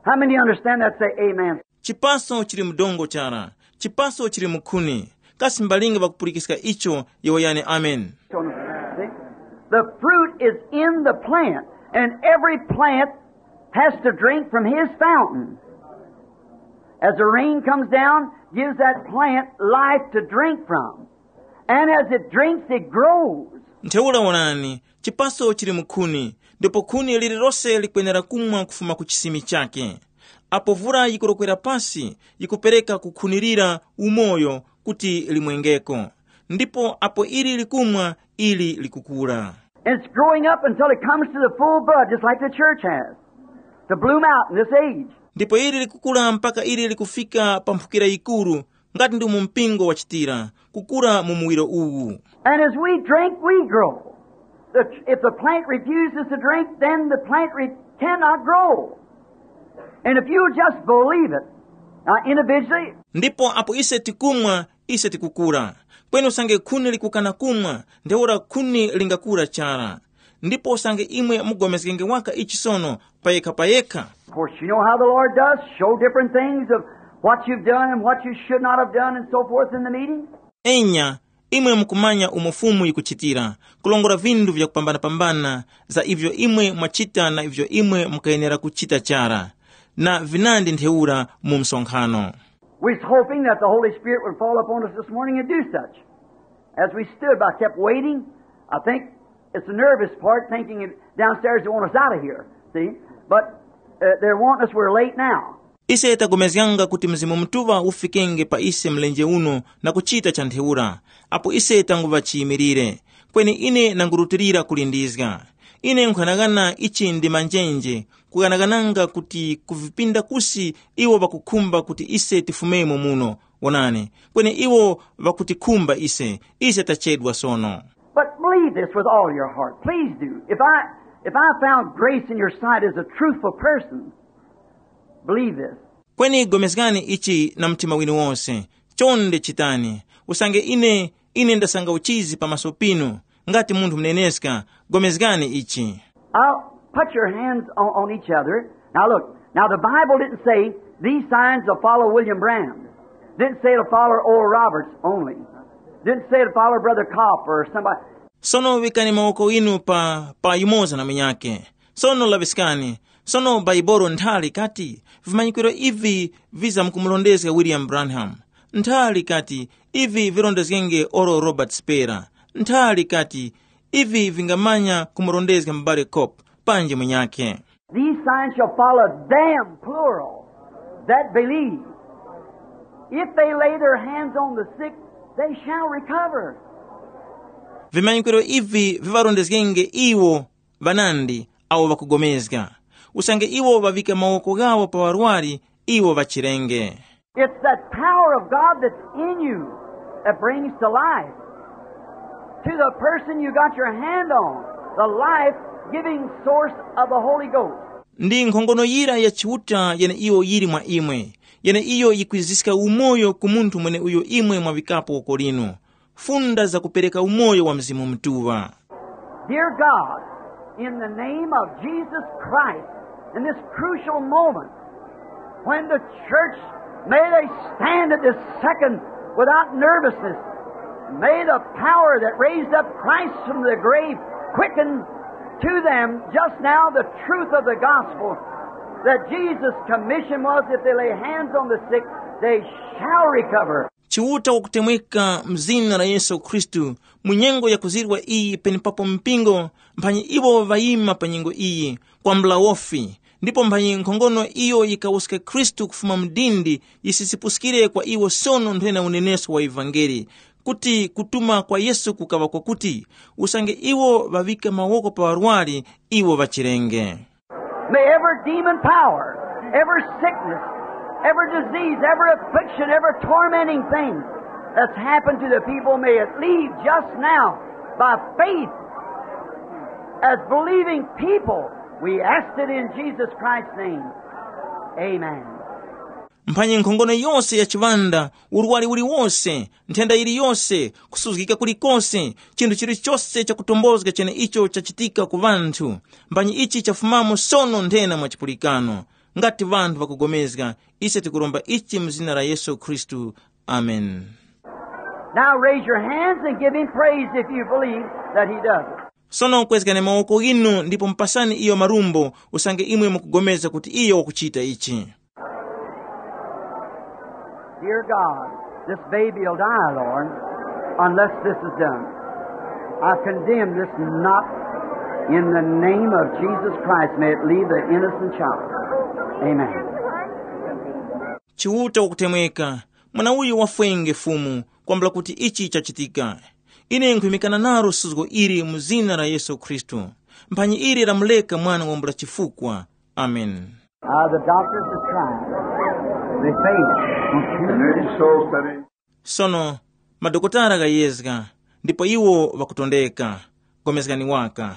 How many understand that? Say amen. Chipaso chili mdongo chara. Chipaso chili mukhuni. Kasi mbalinga ŵakupulikiska icho? Yowoyani amen. So, see? The fruit is in the plant, and every plant has to drink from his fountain. As the rain comes down, gives that plant life to drink from. And as it drinks, it grows. Ntheura wonani, chipaso chili mukhuni, ndipo khuni lililose likwenera kumwa kufuma ku chisimi chake. Apo vura yikurokwera pasi, yikupereka kukhunirira umoyo kuti limwengeko. Ndipo apo ili likumwa, ili likukura. And it's growing up until it comes to the full bud, just like the church has, to bloom out in this age. Ndipo ili likukura mpaka ili likufika pa mphukira yikuru, ngati ndi umo mpingo wachitira, kukura mu muwiro uwu. And as we drink, we grow. The, if the plant refuses to drink, then the plant re- cannot grow. And if you'll just believe it, now individually, Ndipo apo ise tikumwa, ise tikukura. Kweni usange khuni likukana kumwa, ntheura khuni lingakura chara. Ndipo usange imwe mugomezgenge waka ichi sono, payekha payekha. Of course, you know how the Lord does show different things of what you've done and what you should not have done and so forth in the meeting. Enya, imwe mukumanya umo Fumu yikuchitira, kulongora vinthu vyakupambana-pambana za ivyo imwe mwachita na ivyo imwe mukayenera kuchita chara, na vinandi ntheura mu msonkhano. We was hoping that the Holy Spirit would fall upon us this morning and do such. As we stood by, kept waiting. I think it's the nervous part thinking it- downstairs they want us out of here. See? But uh, they're wanting us, we're late now. Ise tapulikana kuti Mzimu Mutuŵa ufikenge pa ise mlenje uno na kuchita cha ntheura, apo ise tanguŵa chiyimilire. Kweni ine nangurutilira kulindizga. Ine nkhughanaghana ichi ndi manjenje, kughanagananga kuti kuvipinda kusi iwo ŵakukhumba kuti ise tifumemo muno. Wonani, kweni iwo ŵakutikhumba ise, ise tachedwa sono. But believe this with all your heart. Please do. If I if I found grace in your sight as a truthful person, believe this. Kweni pulikani ichi na mtima winu wose. Chonde chitani. Usange ine, ine ndasanga uchizi pamaso pinu, ngati munthu muneneska, pulikani ichi. Now, put your hands on, on each other. Now look, now the Bible didn't say these signs will follow William Branham. Didn't say it'll follow Oral Roberts only. Didn't say it'll follow Brother Kopp or somebody. Sono vikani mawoko inu pa, pa yumoza na munyake. Sono laŵiskani, sono Baibolo nthali kati vimanyikiro ivi vizamkumurondezga William Branham? Nthali kati ivi virondezgenge Oral Robert Sperry? Nthali kati ivi vingamanya kumurondezga mubali Kopp panji munyakhe? These signs shall follow them, plural, that believe. If they lay their hands on the sick, they shall recover. Vimanyikiro ivi viŵarondezgenge iwo ŵanandi awo ŵakugomezga. Usange iwo ŵaŵika mawoko ghawo pa ŵarwari, iwo ŵachirenge. It's that power of God that's in you that brings to life. To the person you got your hand on, the life giving source of the Holy Ghost. Ndi nkhongono yira ya Chiuta yeneiyo yili mwa imwe, yeneiyo yikwiziska umoyo ku munthu mweneuyo imwe mwaŵikapo woko linu. Funda zakupereka umoyo wa Mzimu Mutuŵa. Dear God, in the name of Jesus Christ, in this crucial moment, when the church, may they stand at this second without nervousness. May the power that raised up Christ from the grave quicken to them just now the truth of the gospel that Jesus' commission was, if they lay hands on the sick, they shall recover. Chiuta wakutemweka mu zina la Yesu Khristu, mu nyengo yakuzirwa iyi penepapo mpingo, mphanyi iwo ŵayima pa nyengo iyi, kwambula wofi, ndipo mphanyi nkhongono iyo yikawuska Khristu kufuma mu dindi yisisipuskire kwa iwo sono nthena unenesko wa ivangeli, kuti kutuma kwa Yesu kukaŵa kwakuti, usange iwo ŵaŵika mawoko pa ŵarwari, iwo ŵachirenge. May every demon power, every sickness, every disease, every affliction, every tormenting thing that's happened to the people, may it leave just now by faith. As believing people, we asked it in Jesus Christ's name. Amen. Mphanyi nkhongono yose ya chiŵanda, urwari uliwose, nthenda yiliyose, kusuzgika kulikose, chinthu chilichose chakutombozga cheneicho chachitika ku ŵanthu, mphanyi ichi chafumamo sono nthena mwa chipulikano, ngati ŵanthu ŵakugomezga. Ise tikuromba ichi mu zina la Yesu Khristu. Ameni. Now raise your hands and give him praise if you believe that he does it. Sono kwezgani mawoko inu ndipo mupasani iyo marumbo, usange imwe mukugomeza kuti iyo wakuchita ichi. Dear God, this baby will die, Lord, unless this is done. I condemn this knot in the name of Jesus Christ. May it leave the innocent child. Amen. Chiuta wakutemweka, mwana uyu wafwenge Fumu, kwambula kuti ichi chachitika. Ine nkhuyimikana nalo suzgo ili mu zina la Yesu Khristu. Mphanyi ili lamuleka mwana wambula chifukwa. Ameni. Uh, the doctors are trying. They faint. And their soul's studying. Sono madokotala ghayezga, ndipo iwo ŵakutondeka. Gomezgani waka.